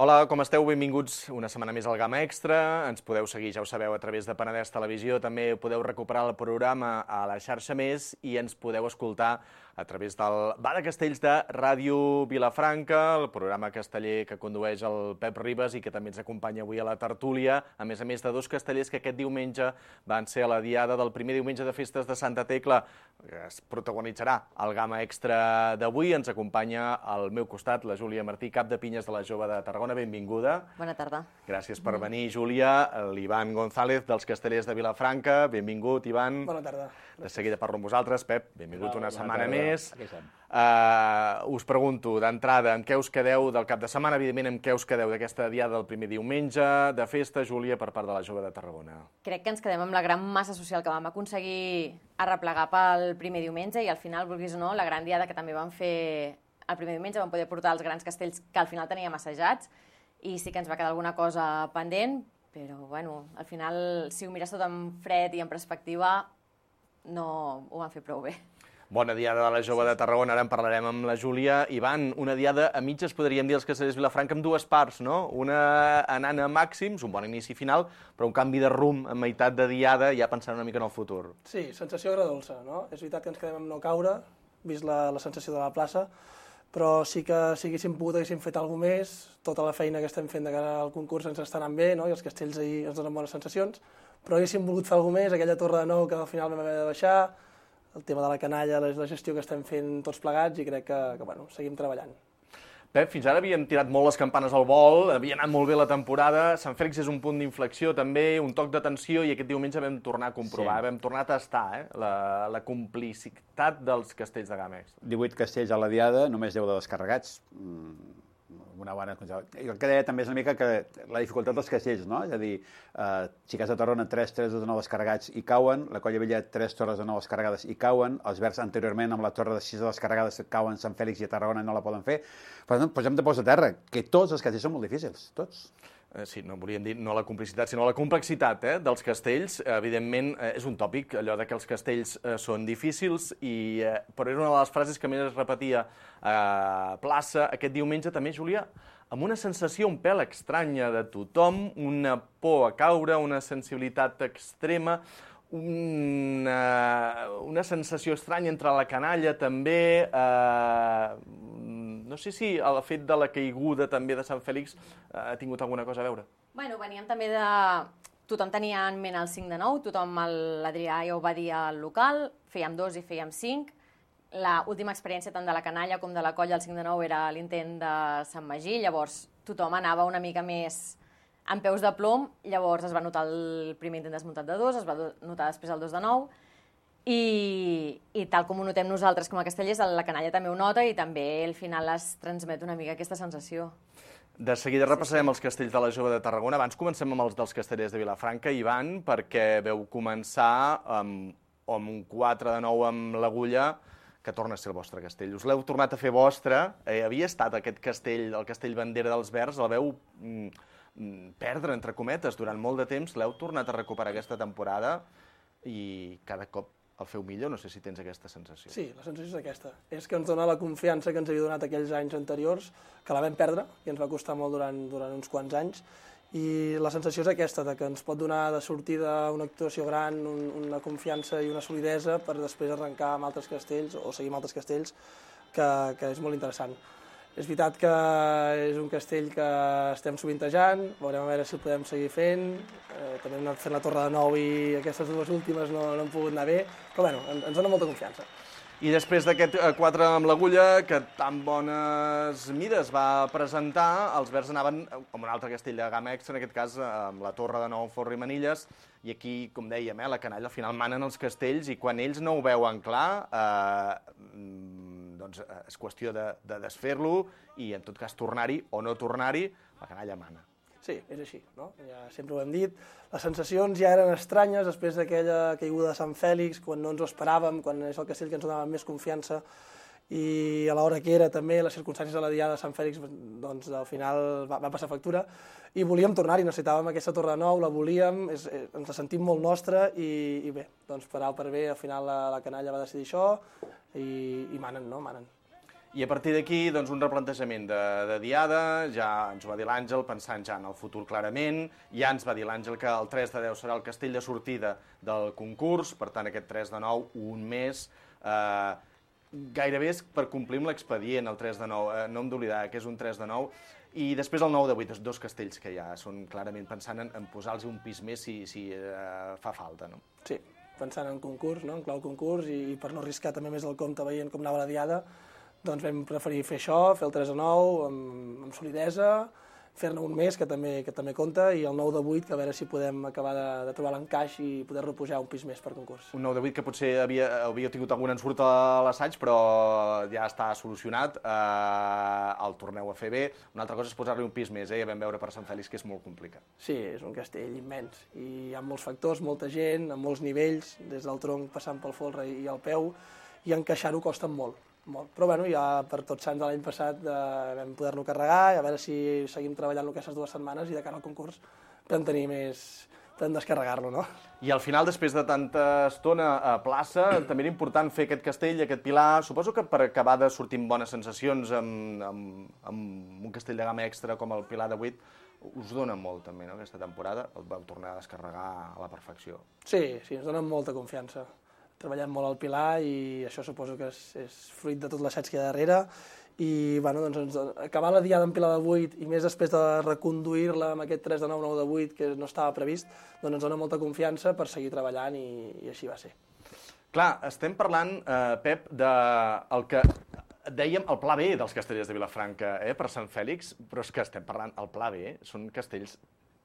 Hola, com esteu? Benvinguts una setmana més al Gamma Extra. Ens podeu seguir, ja ho sabeu, a través de Penedès Televisió. També podeu recuperar el programa a la xarxa Més i ens podeu escoltar a través del Bar de Castells de Ràdio Vilafranca, el programa casteller que condueix el Pep Ribas i que també ens acompanya avui a la tertúlia, a més de dos castellers que aquest diumenge van ser a la diada del primer diumenge de festes de Santa Tecla. Es protagonitzarà el Gamma Extra d'avui. Ens acompanya al meu costat la Júlia Martí, cap de pinyes de la Jove de Tarragona. Benvinguda. Bona tarda. Gràcies per venir, Júlia. L'Ivan González, dels Castellers de Vilafranca. Benvingut, Ivan. Bona tarda. De seguida parlo amb vosaltres. Pep, benvingut una setmana més. Us pregunto, d'entrada, amb què us quedeu del cap de setmana? Evidentment, amb què us quedeu d'aquesta diada del primer diumenge de festa, Júlia, per part de la Jove de Tarragona? Crec que ens quedem amb la gran massa social que vam aconseguir arreplegar pel primer diumenge i al final, vulguis o no, la gran diada que també vam fer el primer diumenge, vam poder portar els grans castells que al final teníem assajats i sí que ens va quedar alguna cosa pendent, però bueno, al final, si ho mires tot en fred i en perspectiva, no ho van fer prou bé. Bona diada de la Jove de Tarragona, ara en parlarem amb la Júlia. Ivan, una diada a mitges, podríem dir, els Castellers de Vilafranca, amb dues parts, no? Una anant a màxims, un bon inici final, però un canvi de rumb a meitat de diada, ja pensant una mica en el futur. Sí, sensació agradolça, no? És veritat que ens quedem amb no caure, vist la sensació de la plaça, però sí que si haguéssim pogut, haguéssim fet alguna més, tota la feina que estem fent de cara al concurs ens està anant bé, no? I els castells ahir ens donen bones sensacions, però haguéssim volgut fer alguna més, aquella torre de nou que al final vam haver de baixar, el tema de la canalla, la gestió que estem fent tots plegats i crec que bueno, seguim treballant. Pep, fins ara havíem tirat molt les campanes al vol, havia anat molt bé la temporada, Sant Fèlix és un punt d'inflexió també, un toc d'atenció, i aquest diumenge vam tornar a comprovar, vam tornar a tastar la complicitat dels castells de Gamma Extra. 18 castells a la diada, només 10 de descarregats. Una bona... El que deia també és una mica que la dificultat dels castells, no? És a dir, Xiquets de Tarragona, 3 torres de 9 descarregats i cauen, la Colla Vella, 3 torres de 9 descarregades i cauen, els Verds anteriorment amb la torre de 6 descarregades cauen, Sant Fèlix i a Tarragona no la poden fer. Per tant, posem de peus a terra, que tots els castells són molt difícils, tots. Sí, no volíem dir no la complicitat, sinó la complexitat dels castells. Evidentment, és un tòpic, allò de que els castells són difícils, però era una de les frases que més es repetia a plaça aquest diumenge també, Júlia, amb una sensació un pèl estranya de tothom, una por a caure, una sensibilitat extrema, una sensació estranya entre la canalla també, no sé si el fet de la caiguda també de Sant Fèlix ha tingut alguna cosa a veure. Bueno, veníem també de... Tothom tenia en ment el 5 de 9, tothom, l'Adrià ja ho va dir al local, fèiem 2 i fèiem 5. L'última experiència tant de la canalla com de la colla, el 5 de 9, era l'intent de Sant Magí, llavors tothom anava una mica més amb peus de plom, llavors es va notar el primer intent desmuntat de 2, es va notar després el 2 de 9, I tal com ho notem nosaltres com a castellers, la canalla també ho nota i també al final es transmet una mica aquesta sensació. De seguida repassarem els castells de la Jove de Tarragona. Abans comencem amb els dels castellers de Vilafranca. Ivan, perquè veu començar amb un 4 de 9 amb l'Agulla, que torna a ser el vostre castell. Us l'heu tornat a fer vostre. Havia estat aquest castell, el castell bandera dels Verds, el veu perdre, entre cometes, durant molt de temps. L'heu tornat a recuperar aquesta temporada i cada cop el feu millor. No sé si tens aquesta sensació. Sí, la sensació és aquesta. És que ens dona la confiança que ens havia donat aquells anys anteriors, que la vam perdre i ens va costar molt durant uns quants anys. I la sensació és aquesta, que ens pot donar de sortida una actuació gran, una confiança i una solidesa per després arrencar amb altres castells o seguir amb altres castells, que és molt interessant. És veritat que és un castell que estem sovintejant, veurem a veure si el podem seguir fent. També hem anat fent la Torre de Nou i aquestes dues últimes no han pogut anar bé, però bueno, ens dona molta confiança. I després d'aquest 4 amb l'Agulla, que tan bones mides va presentar, els Verds anaven amb un altre castell de gamma extra, en aquest cas amb la Torre de Nou, Forra i Manilles, i aquí, com dèiem, la canalla al final manen els castells i quan ells no ho veuen clar, doncs és qüestió de desfer-lo i en tot cas tornar-hi o no tornar-hi, la canalla mana. Sí, és així, no? Ja sempre ho hem dit. Les sensacions ja eren estranyes després d'aquella caiguda de Sant Fèlix, quan no ens ho esperàvem, quan és el castell que ens donava més confiança, i a l'hora que era també, les circumstàncies de la diada de Sant Fèlix, doncs al final va passar factura, i volíem tornar-hi, necessitàvem aquesta Torre de Nou, la volíem, ens la sentim molt nostra, i bé, doncs per A o per B, al final la canalla va decidir això, i manen, no? Manen. I a partir d'aquí, doncs, un replantejament de diada, ja ens ho va dir l'Àngel, pensant ja en el futur clarament, ja ens va dir l'Àngel que el 3 de 10 serà el castell de sortida del concurs, per tant, aquest 3 de 9, un mes, gairebé és per complir amb l'expedient, el 3 de 9, no hem d'oblidar que és un 3 de 9, i després el 9 de 8, dos castells que ja són clarament pensant en posar-los un pis més si fa falta, no? Sí, pensant en concurs, no? En clau concurs, i per no arriscar també més el compte veient com anava la diada, doncs vam preferir fer això, fer el 3 de 9 amb solidesa, fer-ne un mes, que també compta, i el 9 de 8, que a veure si podem acabar de trobar l'encaix i poder-lo pujar un pis més per concurs. Un 9 de 8 que potser havia tingut algun ensurt a l'assaig, però ja està solucionat, el torneu a fer bé. Una altra cosa és posar-li un pis més, ja vam veure per Sant Fèlix que és molt complicat. Sí, és un castell immens, i hi ha molts factors, molta gent, amb molts nivells, des del tronc passant pel folre i al peu, i encaixar-ho costa molt. Però bueno, ja per Tots Sants de l'any passat vam poder-lo carregar, i a veure si seguim treballant-lo aquestes 2 setmanes i de cara al concurs podem descarregar-lo, no? I al final, després de tanta estona a plaça, també era important fer aquest castell, aquest pilar. Suposo que per acabar de sortir amb bones sensacions amb un castell de gamma extra com el pilar de 8, us dona molt també, no?, aquesta temporada. El vau tornar a descarregar a la perfecció. Sí, ens dona molta confiança. Treballant molt al pilar i això suposo que és fruit de tot l'assaig que hi ha darrere i bueno, doncs, acabar la diada amb pilar de 8 i més després de reconduir-la amb aquest 3 de 9, 9 de 8 que no estava previst, doncs ens dona molta confiança per seguir treballant i així va ser. Clar, estem parlant, Pep, del que dèiem el pla B dels castellers de Vilafranca per Sant Fèlix, però és que estem parlant, el pla B són castells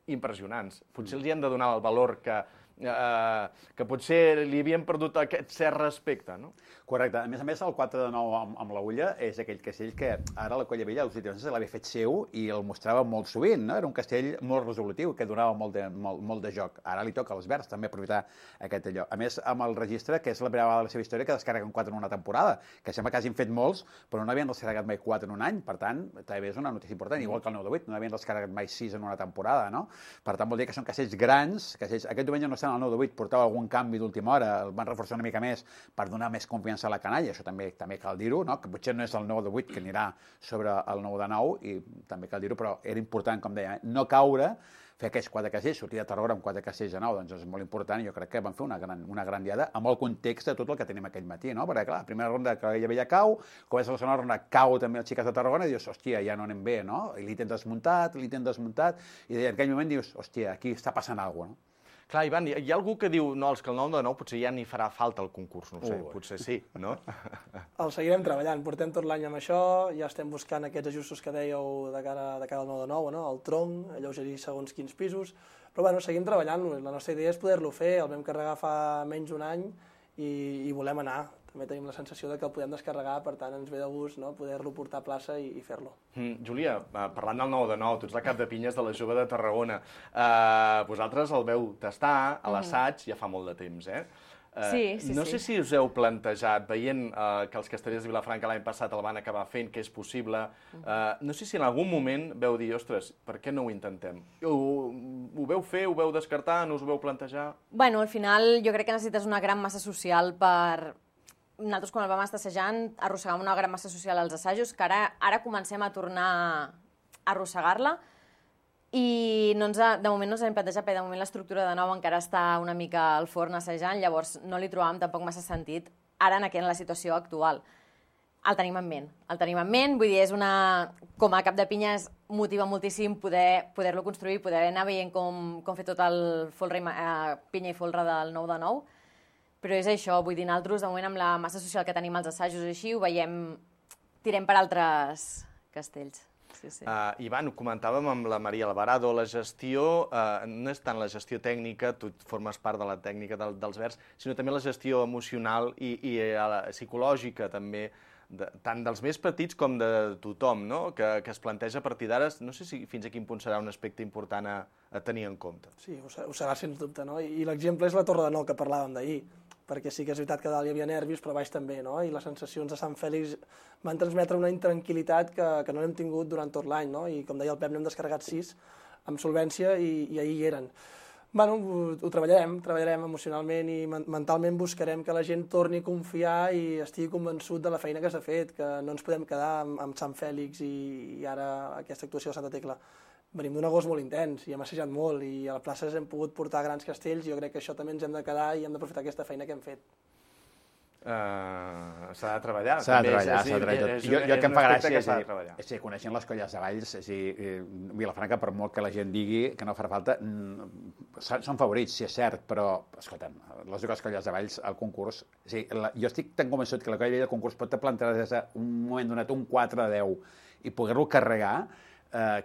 impressionants. Potser els hi hem de donar el valor que potser li havien perdut aquest cert respecte, no? Correcte. A més, el 4 de 9 amb l'Agulla és aquell castell que ara la Colla Vella se l'havia fet seu i el mostrava molt sovint, no? Era un castell molt resolutiu, que donava molt de joc. Ara li toca als Verds també aprofitar aquest allò. A més, amb el registre, que és la primera vegada de la seva història que descarreguen 4 en una temporada, que sembla que hagin fet molts, però no havien descarregat mai 4 en un any, per tant, també és una notícia important, igual que el 9 de 8, no havien descarregat mai 6 en una temporada, no? Per tant, vol dir que són castells grans, castells... Aquest diumenge no estan al 9 de 8, portava algun canvi d'última hora, el van reforçar una mica més per donar més confiança a la canalla, això també cal dir-ho, no? Que potser no és el 9 de 8 que anirà sobre el 9 de 9, i també cal dir-ho, però era important, com deia, no caure, fer aquests 4 castells, sortir de Tarragona amb 4 castells de 9, doncs és molt important, i jo crec que van fer una gran diada amb el context de tot el que tenim aquell matí, no? Perquè, clar, la primera ronda que ella veia cau, comença la segona ronda, cau també els xiques de Tarragona, i dius, hòstia, ja no anem bé, no? I l'ítem desmuntat, i en aquell moment dius, hòstia, aquí està passant alguna cosa, no? Clar, Ivan, hi ha algú que diu, no, és que el 9 de 9 potser ja n'hi farà falta el concurs, no sé, potser sí, no? El seguirem treballant, portem tot l'any amb això, ja estem buscant aquests ajustos que dèieu de cara al 9 de 9, no? El tronc, alleugerir segons quins pisos, però bueno, seguim treballant-lo, la nostra idea és poder-lo fer, el vam carregar fa menys d'un any i volem anar. També tenim la sensació de que el podem descarregar, per tant ens ve de gust, no?, poder-lo portar a plaça i fer-lo. Júlia, parlant del 9 de 9, tu ets la cap de pinyes de la Jove de Tarragona. Vosaltres el veu tastar a l'assaig ja fa molt de temps, eh? Sí. No sé si us heu plantejat, veient que els castellers de Vilafranca l'any passat el van acabar fent, que és possible, no sé si en algun moment veu dir, ostres, per què no ho intentem? Ho veu fer, ho veu descartar, no us ho veu plantejar? Bueno, al final jo crec que necessites una gran massa social per... Nosaltres, quan el vam estar assajant, arrossegàvem una gran massa social als assajos, que ara comencem a tornar a arrossegar-la, i de moment no ens hem plantejat, perquè de moment l'estructura de nou encara està una mica al forn assajant, llavors no li trobàvem tampoc massa sentit ara en la situació actual. El tenim en ment, vull dir, com a cap de pinya motiva moltíssim poder-lo construir, poder anar veient com fer tot el pinya i folre del 9 de 9, però és això, vull dir, nosaltres de moment amb la massa social que tenim als assajos així, ho veiem, tirem per altres castells. Sí. Ivan, ho comentàvem amb la Maria Alvarado, la gestió no és tant la gestió tècnica, tu formes part de la tècnica dels Verds, sinó també la gestió emocional i psicològica també, tant dels més petits com de tothom, no?, que es planteja a partir d'ara. No sé si fins a quin punt serà un aspecte important a tenir en compte. Sí, ho serà sens dubte, no? I l'exemple és la Torre de Nou que parlàvem d'ahir, perquè sí que és veritat que dalt hi havia nervis, però baix també, no? I les sensacions de Sant Fèlix van transmetre una intranquil·litat que no l'hem tingut durant tot l'any, no? I com deia el Pep, n'hem descarregat 6 amb solvència i ahir hi eren. Bueno, ho treballarem emocionalment i mentalment buscarem que la gent torni a confiar i estigui convençut de la feina que s'ha fet, que no ens podem quedar amb Sant Fèlix i ara aquesta actuació de Santa Tecla. Venim d'un agost molt intens i hem assajat molt i a la plaça hem pogut portar grans castells i jo crec que això també ens hem de quedar i hem d'aprofitar aquesta feina que hem fet. S'ha de treballar. S'ha de treballar. Jo que em fa gràcia és que coneixent les colles de Valls, Vilafranca, per molt que la gent digui que no farà falta, són favorits, sí, és cert, però, escolta'm, les dues colles de Valls al concurs, jo estic tan convençut que la colla del concurs pot plantejar des d'un moment donat un 4 de 10 i poder-lo carregar,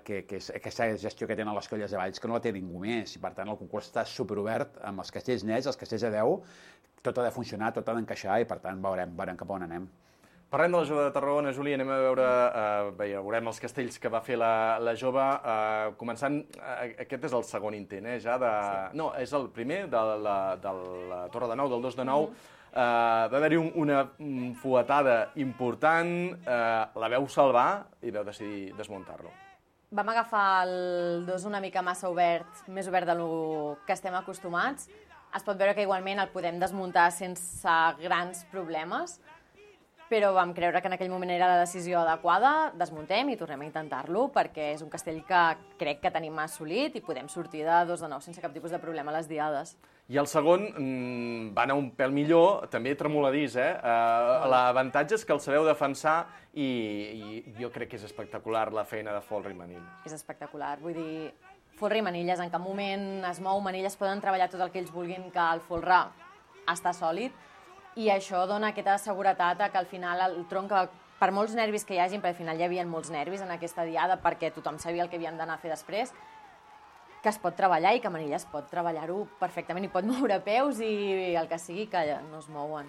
que és aquesta gestió que tenen les colles de Valls, que no la té ningú més, i per tant el concurs està superobert amb els castells nets, els castells de 10, tot ha de funcionar, tot ha d'encaixar i per tant veurem cap on anem. Parlem de la Jove de Tarragona, Júlia, anem a veurem els castells que va fer la Jove, començant, aquest és el segon intent, ja de... No, és el primer de la Torre de Nou, del 2 de 9, va haver-hi una fuetada important, la veu salvar i veu decidir desmuntar-lo. Vam agafar el 2 una mica massa obert, més obert del que estem acostumats. Es pot veure que igualment el podem desmuntar sense grans problemes, però vam creure que en aquell moment era la decisió adequada, desmuntem i tornem a intentar-lo, perquè és un castell que crec que tenim assolit i podem sortir de 2 de 9 sense cap tipus de problema a les diades. I el segon va anar un pèl millor, també tremoladís, L'avantatge és que el sabeu defensar i jo crec que és espectacular la feina de Folra i Manilles. És espectacular, vull dir, Folra i Manilles en cap moment es mou, Manilles poden treballar tot el que ells vulguin, que el Folra està sòlid, i això dona aquesta seguretat que al final el tronc, per molts nervis que hi hagin, perquè al final hi havia molts nervis en aquesta diada perquè tothom sabia el que havien d'anar a fer després, que es pot treballar i que Manilles pot treballar-ho perfectament i pot moure peus i el que sigui que no es mouen.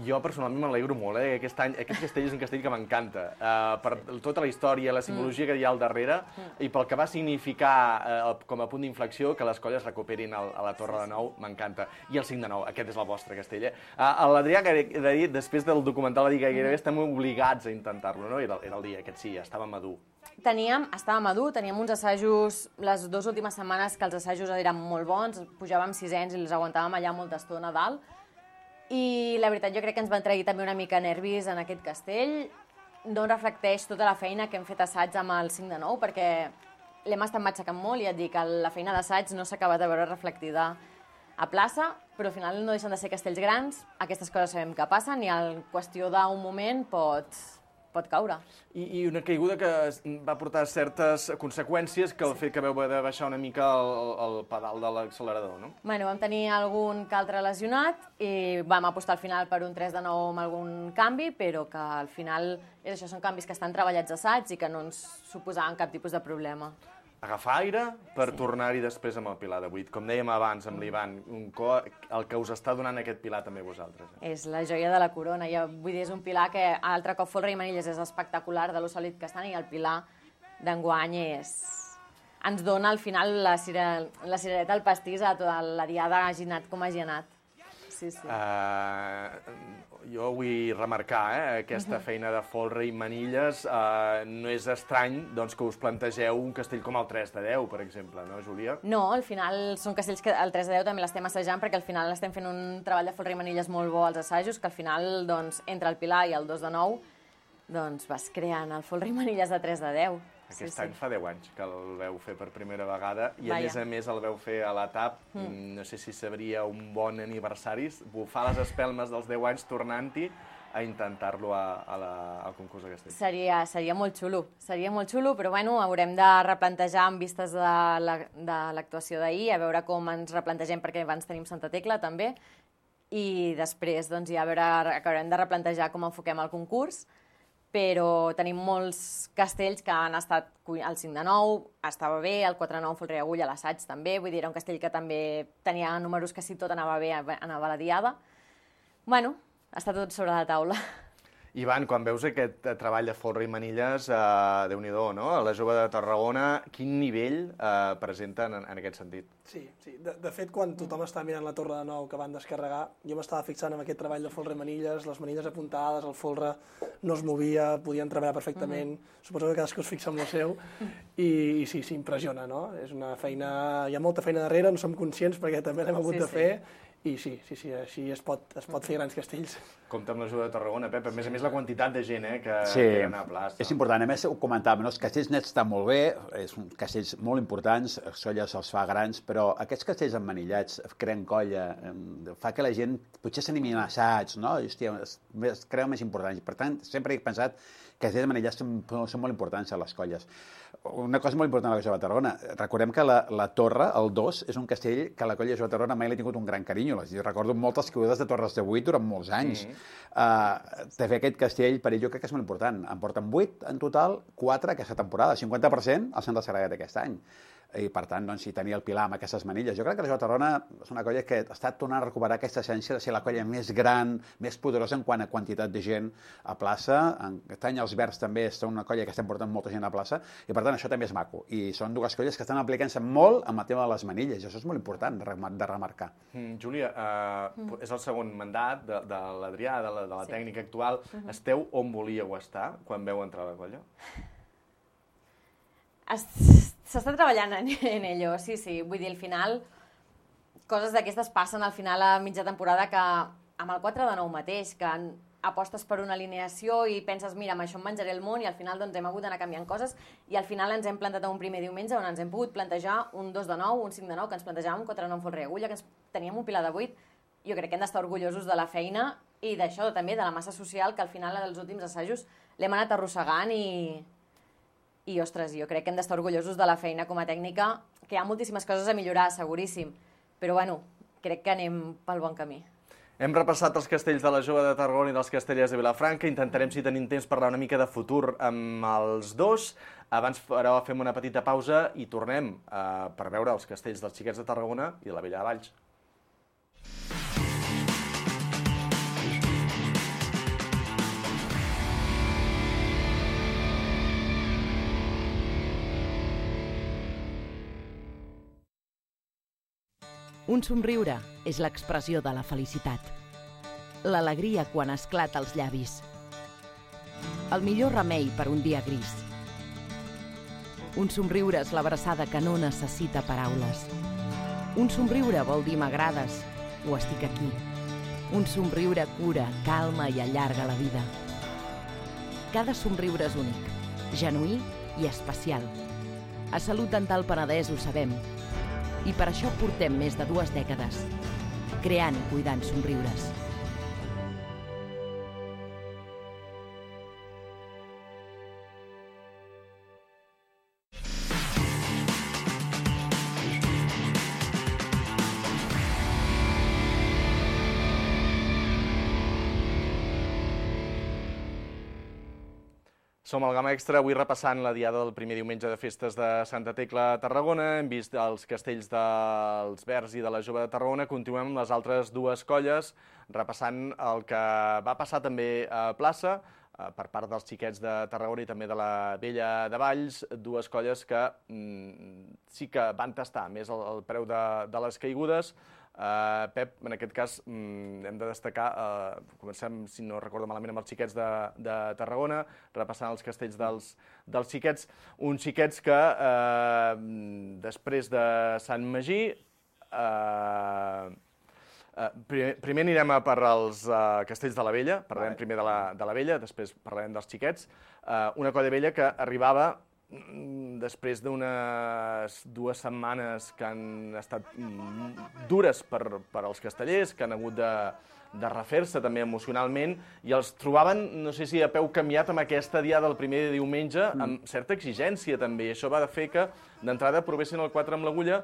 Jo personalment m'alegro molt, aquest castell és un castell que m'encanta, per tota la història, la simbologia que hi ha al darrere i pel que va significar com a punt d'inflexió que les colles recuperin a la Torre de Nou, m'encanta. I el 5 de 9, aquest és el vostre castell. L'Adrià ha dit, després del documental, va dir que gairebé estem obligats a intentar-lo, no? Era el dia aquest, sí, estava madur. Estava madur, teníem uns assajos, les 2 últimes setmanes que els assajos eren molt bons, pujàvem 600 i els aguantàvem allà molta estona a dalt, i la veritat jo crec que ens van trair també una mica nervis en aquest castell, no reflecteix tota la feina que hem fet assaig amb el 5 de 9, perquè l'hem estat matxacant molt i et dic que la feina d'assaig no s'ha acabat de veure reflectida a plaça, però al final no deixen de ser castells grans, aquestes coses sabem que passen i en qüestió d'un moment pot caure. I una caiguda que va portar certes conseqüències que el fet que vau haver de baixar una mica el pedal de l'accelerador, no? Bueno, vam tenir algun que altre lesionat i vam apostar al final per un 3 de 9 amb algun canvi, però que al final són canvis que estan treballats a assaig i que no ens suposaven cap tipus de problema. agafar aire per tornar-hi després amb el pilar de 8. Com dèiem abans amb l'Ivan, el que us està donant aquest pilar també vosaltres. És la joia de la corona. Vull dir, és un pilar que altre cop folre i manilles és espectacular de lo sòlid que estan, i el pilar d'enguany ens dona al final la cirereta al pastís a tota la diada hagi anat com hagi anat. Sí. Jo vull remarcar aquesta feina de folre i manilles. No és estrany que us plantegeu un castell com el 3 de 10, per exemple, no, Júlia? No, al final són castells que el 3 de 10 també l'estem assajant, perquè al final estem fent un treball de folre i manilles molt bo als assajos, que al final, entre el pilar i el 2 de 9, vas creant el folre i manilles de 3 de 10. Aquest any fa 10 anys que el veu fer per primera vegada i a més el veu fer a la TAP. No sé si sabria un bon aniversari, bufar les espelmes dels 10 anys tornant-hi a intentar-lo al concurs de castells. Seria molt xulo, però bueno, haurem de replantejar amb vistes de l'actuació d'ahir, a veure com ens replantegem, perquè abans tenim Santa Tecla també, i després ja acabarem de replantejar com enfoquem el concurs, però tenim molts castells que han estat el 5 de 9, estava bé, el 4 de 9 folre i agulla, l'assaig també, vull dir, era un castell que també tenia números que si tot anava bé, anava a la diada. Bueno, està tot sobre la taula. Ivan, quan veus aquest treball de folre i manilles, Déu-n'hi-do, no? A la Jove de Tarragona, quin nivell presenten en aquest sentit? Sí. De fet, quan tothom estava mirant la Torre de Nou que van descarregar, jo m'estava fixant en aquest treball de folre i manilles, les manilles apuntades, el folre no es movia, podien treballar perfectament, suposo que cadascú es fixa en el seu, i sí, s'impressiona, no? És una feina, hi ha molta feina darrere, no som conscients perquè també l'hem hagut de fer, i sí, així es pot fer grans castells. Compte amb la Jove de Tarragona, Pep. A més la quantitat de gent que hi ha a plaça. És important. A més, ho comentàvem, els castells nets estan molt bé, són castells molt importants, Solla se'ls fa grans, però aquests castells emmanillats creen colla, fa que la gent potser s'animi a assaig, no? Hòstia, es creuen més importants. Per tant, sempre he pensat que castells emmanillats són molt importants a les colles. Una cosa molt important a la Jove de Tarragona. Recordem que la Torre, el 2, és un castell que a la colla de Jove de Tarragona mai l'ha tingut un gran carinyo. Recordo moltes caigudes de Torres de 8 durant molts anys. De fer aquest castell, per ell, jo crec que és molt important. En porten 8 en total, 4 aquesta temporada, 50% els han descarregat aquest any. I, per tant, si tenia el Pilar amb aquestes manilles. Jo crec que la Jove de Tarragona és una colla que està tornant a recuperar aquesta essència de ser la colla més gran, més poderosa en quant a quantitat de gent a plaça. Aquest any els Verds també són una colla que estem portant molta gent a plaça, i, per tant, això també és maco. I són dues colles que estan aplicant-se molt amb el tema de les manilles, i això és molt important de remarcar. Júlia, és el segon mandat de l'Adrià, de la tècnica actual. Esteu on volíeu estar quan veu entrar a la colla? S'està treballant en ello, sí. Vull dir, al final, coses d'aquestes passen al final a mitja temporada, que amb el 4 de 9 mateix, que apostes per una alineació i penses, mira, amb això em menjaré el món, i al final hem hagut d'anar canviant coses, i al final ens hem plantat un primer diumenge on ens hem pogut plantejar un 2 de 9, un 5 de 9, que ens plantejàvem un 4 de 9 folre i agulla, que teníem un pilar de 8. Jo crec que hem d'estar orgullosos de la feina i d'això també, de la massa social, que al final dels últims assajos l'hem anat arrossegant, i, ostres, jo crec que hem d'estar orgullosos de la feina com a tècnica, que hi ha moltíssimes coses a millorar, seguríssim, però bueno, crec que anem pel bon camí. Hem repassat els castells de la Jove de Tarragona i dels castellers de Vilafranca. Intentarem, si tenim temps, parlar una mica de futur amb els dos. Abans, però, fem una petita pausa i tornem per veure els castells dels xiquets de Tarragona i de la Vella de Valls. Un somriure és l'expressió de la felicitat. L'alegria quan esclata als llavis. El millor remei per un dia gris. Un somriure és l'abraçada que no necessita paraules. Un somriure vol dir m'agrades o estic aquí. Un somriure cura, calma i allarga la vida. Cada somriure és únic, genuí i especial. A Salut Dental Penedès ho sabem. I per això portem més de 2 dècades, creant i cuidant somriures. Som al Gamma Extra, avui repassant la diada del primer diumenge de festes de Santa Tecla a Tarragona. Hem vist els castells dels Verds i de la Jove de Tarragona. Continuem amb les altres dues colles, repassant el que va passar també a plaça, per part dels xiquets de Tarragona i també de la Vella de Valls, dues colles que sí que van tastar més el preu de les caigudes. Pep, en aquest cas hem de destacar, comencem, si no recordo malament, amb els xiquets de Tarragona, repassant els castells dels xiquets, uns xiquets que després de Sant Magí, primer anirem per als castells de la Vella, parlarem primer de la Vella, després parlarem dels xiquets, una colla vella que arribava després d'unes 2 setmanes que han estat dures per als castellers, que han hagut de refer-se també emocionalment, i els trobaven, no sé si a peu canviat amb aquesta diada del primer diumenge, amb certa exigència també, i això va fer que d'entrada provessin el 4 amb l'agulla.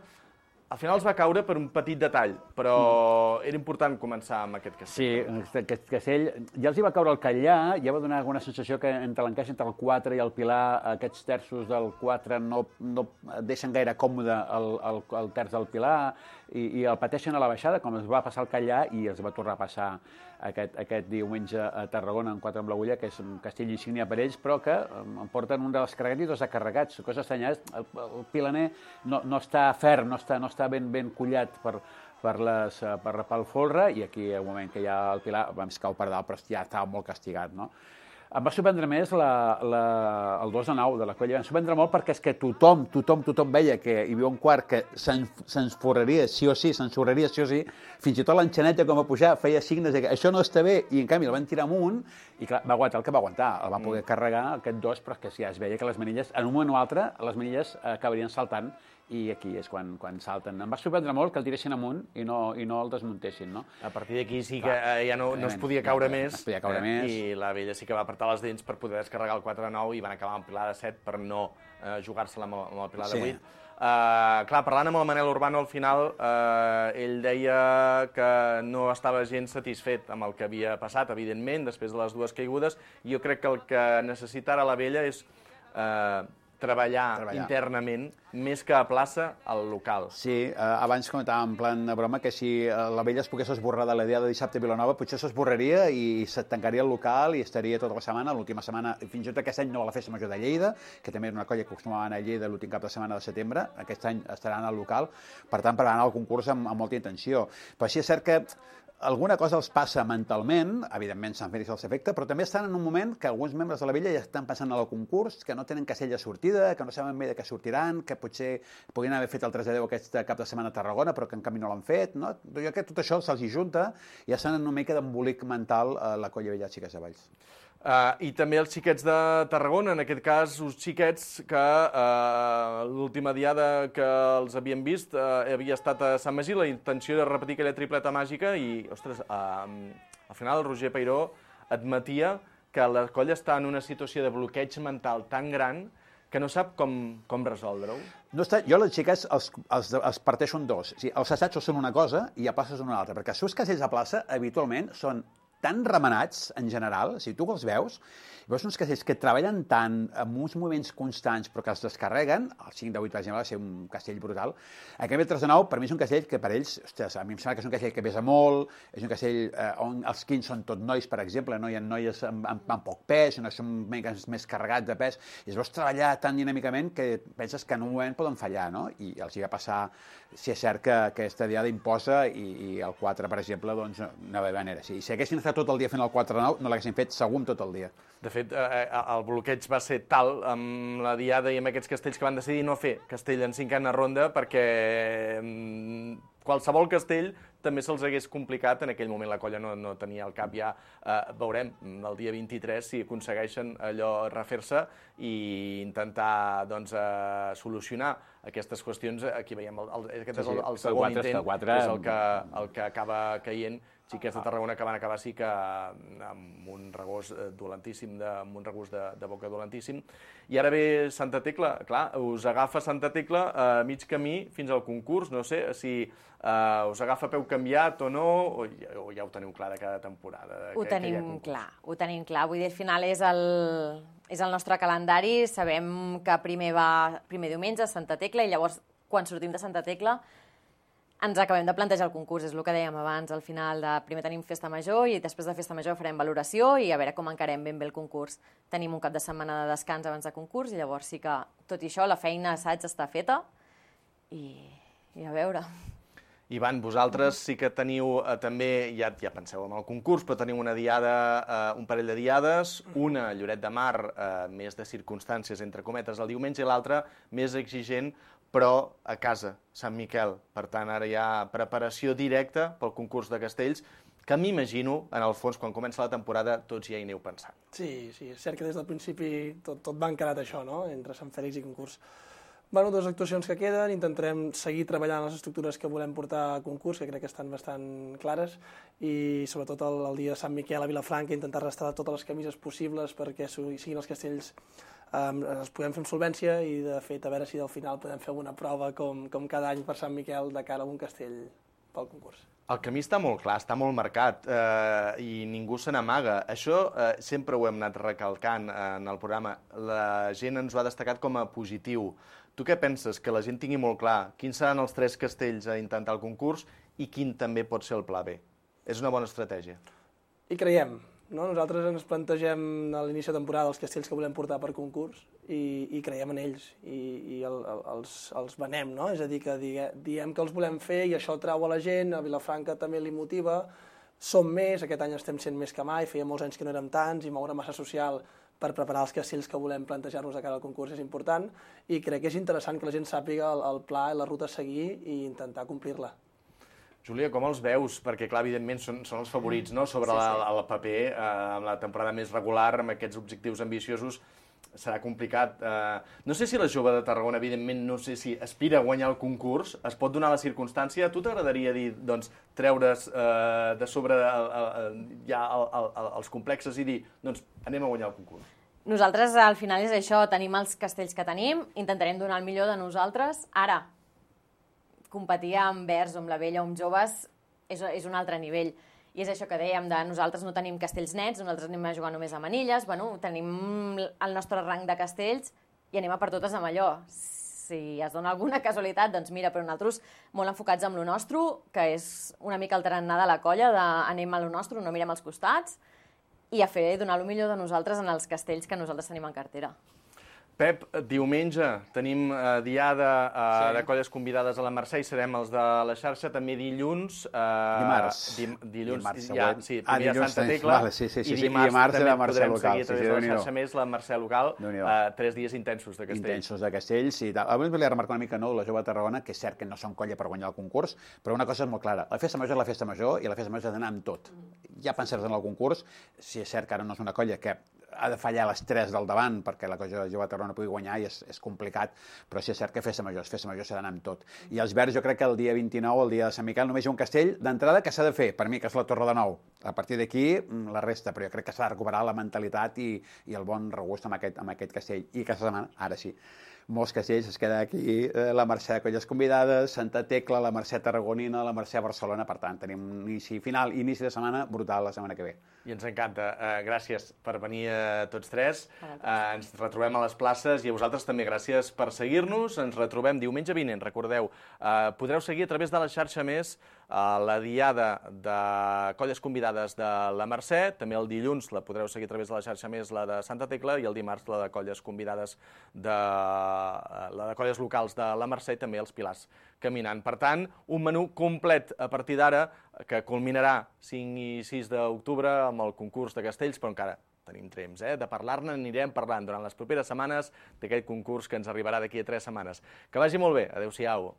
Al final els va caure per un petit detall, però era important començar amb aquest castell. Sí, aquest castell ja els hi va caure el Catllà, ja va donar alguna sensació que entre l'encaix entre el 4 i el Pilar, aquests terços del 4 no deixen gaire còmode el terç del Pilar i el pateixen a la baixada, com es va passar al Catllà i els va tornar a passar aquest diumenge a Tarragona en 4 amb l'agulla, que és un castell insígnia per ells, però que em porten un dels carregats i 2 descarregats. Cosa estranya, el pilaner no està ferm, no està ben collat pel folre, i aquí, al moment que hi ha el Pilar, es cau per dalt, però ja estava molt castigat, no? Em va sorprendre més el 2 de 9 de la colla. Em va sorprendre molt perquè és que tothom veia que hi havia un quart que se'ns forraria sí o sí, s'ensorraria sí o sí. Fins i tot l'enxaneta, com va pujar, feia signes que això no està bé, i en canvi el van tirar amunt, i clar, va aguantar el que va aguantar. El va poder carregar aquest 2, però és que ja es veia que les manilles, en un moment o altre, les manilles acabarien saltant, i aquí és quan salten. Em va sorprendre molt que el tiressin amunt i no el desmuntessin, no? A partir d'aquí sí que ja no es podia caure més, i la Vella sí que va apretar les dents per poder descarregar el 4-9 i van acabar amb Pilar de 7 per no jugar-se-la amb el Pilar de 8. Clar, parlant amb el Manel Urbano al final, ell deia que no estava gens satisfet amb el que havia passat, evidentment, després de les 2 caigudes. Jo crec que el que necessita ara la Vella és treballar internament, més que a plaça, al local. Sí, abans comentàvem en plan de broma que si la Vella es pogués esborrar de la dia de dissabte a Vilanova, potser s'esborraria i se tancaria el local i estaria tota la setmana, l'última setmana, fins i tot aquest any no a la Festa Major de Lleida, que també era una colla que acostumava a anar a Lleida l'últim cap de setmana de setembre, aquest any estaran al local, per tant, per anar al concurs amb molta intenció. Però sí és cert que alguna cosa els passa mentalment, evidentment Sant Fèlix els afecta, però també estan en un moment que alguns membres de la Vella ja estan pensant en el concurs, que no tenen castell de sortida, que no saben bé de què sortiran, que potser podrien haver fet el 3-10 aquest cap de setmana a Tarragona, però que en canvi no l'han fet, no? Jo crec que tot això se'ls hi junta i ja estan en una mica d'embolic mental a la colla Vella Xiques de Valls. I també els xiquets de Tarragona, en aquest cas, uns xiquets que l'última diada que els havíem vist havia estat a Sant Magí, la intenció de repetir aquella tripleta màgica i, ostres, al final el Roger Peiró admetia que la colla està en una situació de bloqueig mental tan gran que no sap com resoldre-ho. Jo les xiques els parteixo en 2. Els assajos són una cosa i a plaça són una altra, perquè els seus castells a plaça habitualment són tan remenats, en general, si tu els veus uns castells que treballen tant amb uns moviments constants però que els descarreguen, el 5 de 8, per exemple, va ser un castell brutal. En canvi, el 3 de 9, per mi és un castell que per ells, ostres, a mi em sembla que és un castell que pesa molt, és un castell on els quins són tot nois, per exemple, no hi ha noies amb poc pes, no són més carregats de pes, i es veus treballar tan dinàmicament que penses que en un moment poden fallar, no? I els hi va passar, si és cert que aquesta diada imposa i el 4, per exemple, doncs no va haver manera. Si haguessin estat tot el dia fent el 4-9, no l'haguessin fet segur tot el dia. De fet, el bloqueig va ser tal amb la diada i amb aquests castells que van decidir no fer castell en 5a ronda perquè qualsevol castell també se'ls hagués complicat. En aquell moment la colla no tenia el cap ja. Veurem el dia 23 si aconsegueixen allò refer-se i intentar solucionar aquestes qüestions. Aquí veiem, aquest és el segon intent, és el que acaba caient. Xiquets de Tarragona que van acabar sí que amb un regós dolentíssim, amb un regust de boca dolentíssim. I ara ve Santa Tecla, clar, us agafa Santa Tecla a mig camí fins al concurs, no sé si us agafa peu canviat o no, o ja ho teniu clar de cada temporada? Ho tenim clar, vull dir, al final és és el nostre calendari. Sabem que primer diumenge a Santa Tecla i llavors quan sortim de Santa Tecla ens acabem de plantejar el concurs, és el que dèiem abans. Al final, primer tenim festa major i després de festa major farem valoració i a veure com encarem ben bé el concurs. Tenim un cap de setmana de descans abans de concurs i llavors sí que, tot i això, la feina assaig està feta i a veure. Ivan, vosaltres sí que teniu també, ja penseu en el concurs, però teniu una diada, un parell de diades, una a Lloret de Mar, més de circumstàncies, entre cometes, el diumenge, i l'altra més exigent, però a casa, Sant Miquel. Per tant, ara hi ha preparació directa pel concurs de castells, que m'imagino, en el fons, quan comença la temporada, tots ja hi aneu pensant. Sí, és cert que des del principi tot va encarat això, no?, entre Sant Fèlix i concurs. Bueno, dues actuacions que queden, intentarem seguir treballant les estructures que volem portar a concurs, que crec que estan bastant clares, i sobretot el dia de Sant Miquel a Vilafranca intentar restaurar totes les camises possibles perquè siguin els castells els podem fer amb solvència i, de fet, a veure si al final podem fer una prova com cada any per Sant Miquel de cara a un castell pel concurs. El camí està molt clar, està molt marcat i ningú se n'amaga. Això sempre ho hem anat recalcant en el programa. La gent ens ho ha destacat com a positiu. Tu què penses? Que la gent tingui molt clar quins seran els 3 castells a intentar el concurs i quin també pot ser el pla B. És una bona estratègia. I creiem. Nosaltres ens plantegem a l'inici de temporada els castells que volem portar per concurs i creiem en ells i els venem, no? És a dir, que diem que els volem fer i això trau a la gent, a Vilafranca també li motiva, som més, aquest any estem sent més que mai, feia molts anys que no érem tants i moure massa social per preparar els castells que volem plantejar-nos de cara al concurs és important i crec que és interessant que la gent sàpiga el pla i la ruta a seguir i intentar complir-la. Júlia, com els veus? Perquè, clar, evidentment són els favorits, no?, sobre el paper, amb la temporada més regular, amb aquests objectius ambiciosos, serà complicat. No sé si la jove de Tarragona, evidentment, no sé si aspira a guanyar el concurs, es pot donar la circumstància. A tu t'agradaria dir, doncs, treure's de sobre ja els complexes i dir, doncs, anem a guanyar el concurs? Nosaltres, al final, és això, tenim els castells que tenim, intentarem donar el millor de nosaltres. Ara, competir amb verds o amb la vella o amb joves és un altre nivell. I és això que dèiem, nosaltres no tenim castells nets, nosaltres anem a jugar només a manilles, tenim el nostre rang de castells i anem a per totes amb allò. Si es dona alguna casualitat, doncs mira, però nosaltres molt enfocats amb lo nostre, que és una mica el tarannà de la colla, anem a lo nostre, no mirem als costats, i a donar el millor de nosaltres en els castells que nosaltres tenim en cartera. Pep, diumenge tenim diada de colles convidades a la Mercè i serem els de la xarxa, també dilluns... Dilluns següent. Sí, primer a Santa Tecla i dimarts també podrem seguir a través de la xarxa més la Mercè local. 3 dies intensos de castells. Intensos de castells i tal. Avui volia remarcar una mica la jove de Tarragona, que és cert que no són colla per guanyar el concurs, però una cosa és molt clara. La festa major és la festa major i la festa major ha d'anar amb tot. Ja pensar en el concurs, si és cert que ara no és una colla que ha de fallar les 3 del davant perquè la colla jove de Tarragona pugui guanyar i és complicat, però sí és cert que festa major s'ha d'anar amb tot. I els verds, jo crec que el dia 29, el dia de Sant Miquel, només hi ha un castell d'entrada que s'ha de fer, per mi, que és la Torre de Nou. A partir d'aquí, la resta, però jo crec que s'ha de recuperar la mentalitat i el bon regust amb aquest castell. I aquesta setmana, ara sí, molts castells, es queda aquí la Mercè de colles convidades, Santa Tecla, la Mercè tarragonina, la Mercè Barcelona, per tant, tenim un inici de setmana brutal la setmana que ve. I ens encanta. Gràcies per venir tots 3. Ens retrobem a les places i a vosaltres també gràcies per seguir-nos. Ens retrobem diumenge vinent, recordeu. Podreu seguir a través de la xarxa més la diada de colles convidades de la Mercè, també el dilluns la podreu seguir a través de la xarxa més la de Santa Tecla i el dimarts la de colles convidades la de colles locals de la Mercè i també els Pilars caminant. Per tant, un menú complet a partir d'ara que culminarà 5 i 6 d'octubre amb el concurs de castells, però encara tenim temps de parlar-ne, anirem parlant durant les properes setmanes d'aquest concurs que ens arribarà d'aquí a 3 setmanes. Que vagi molt bé, adeu-siau.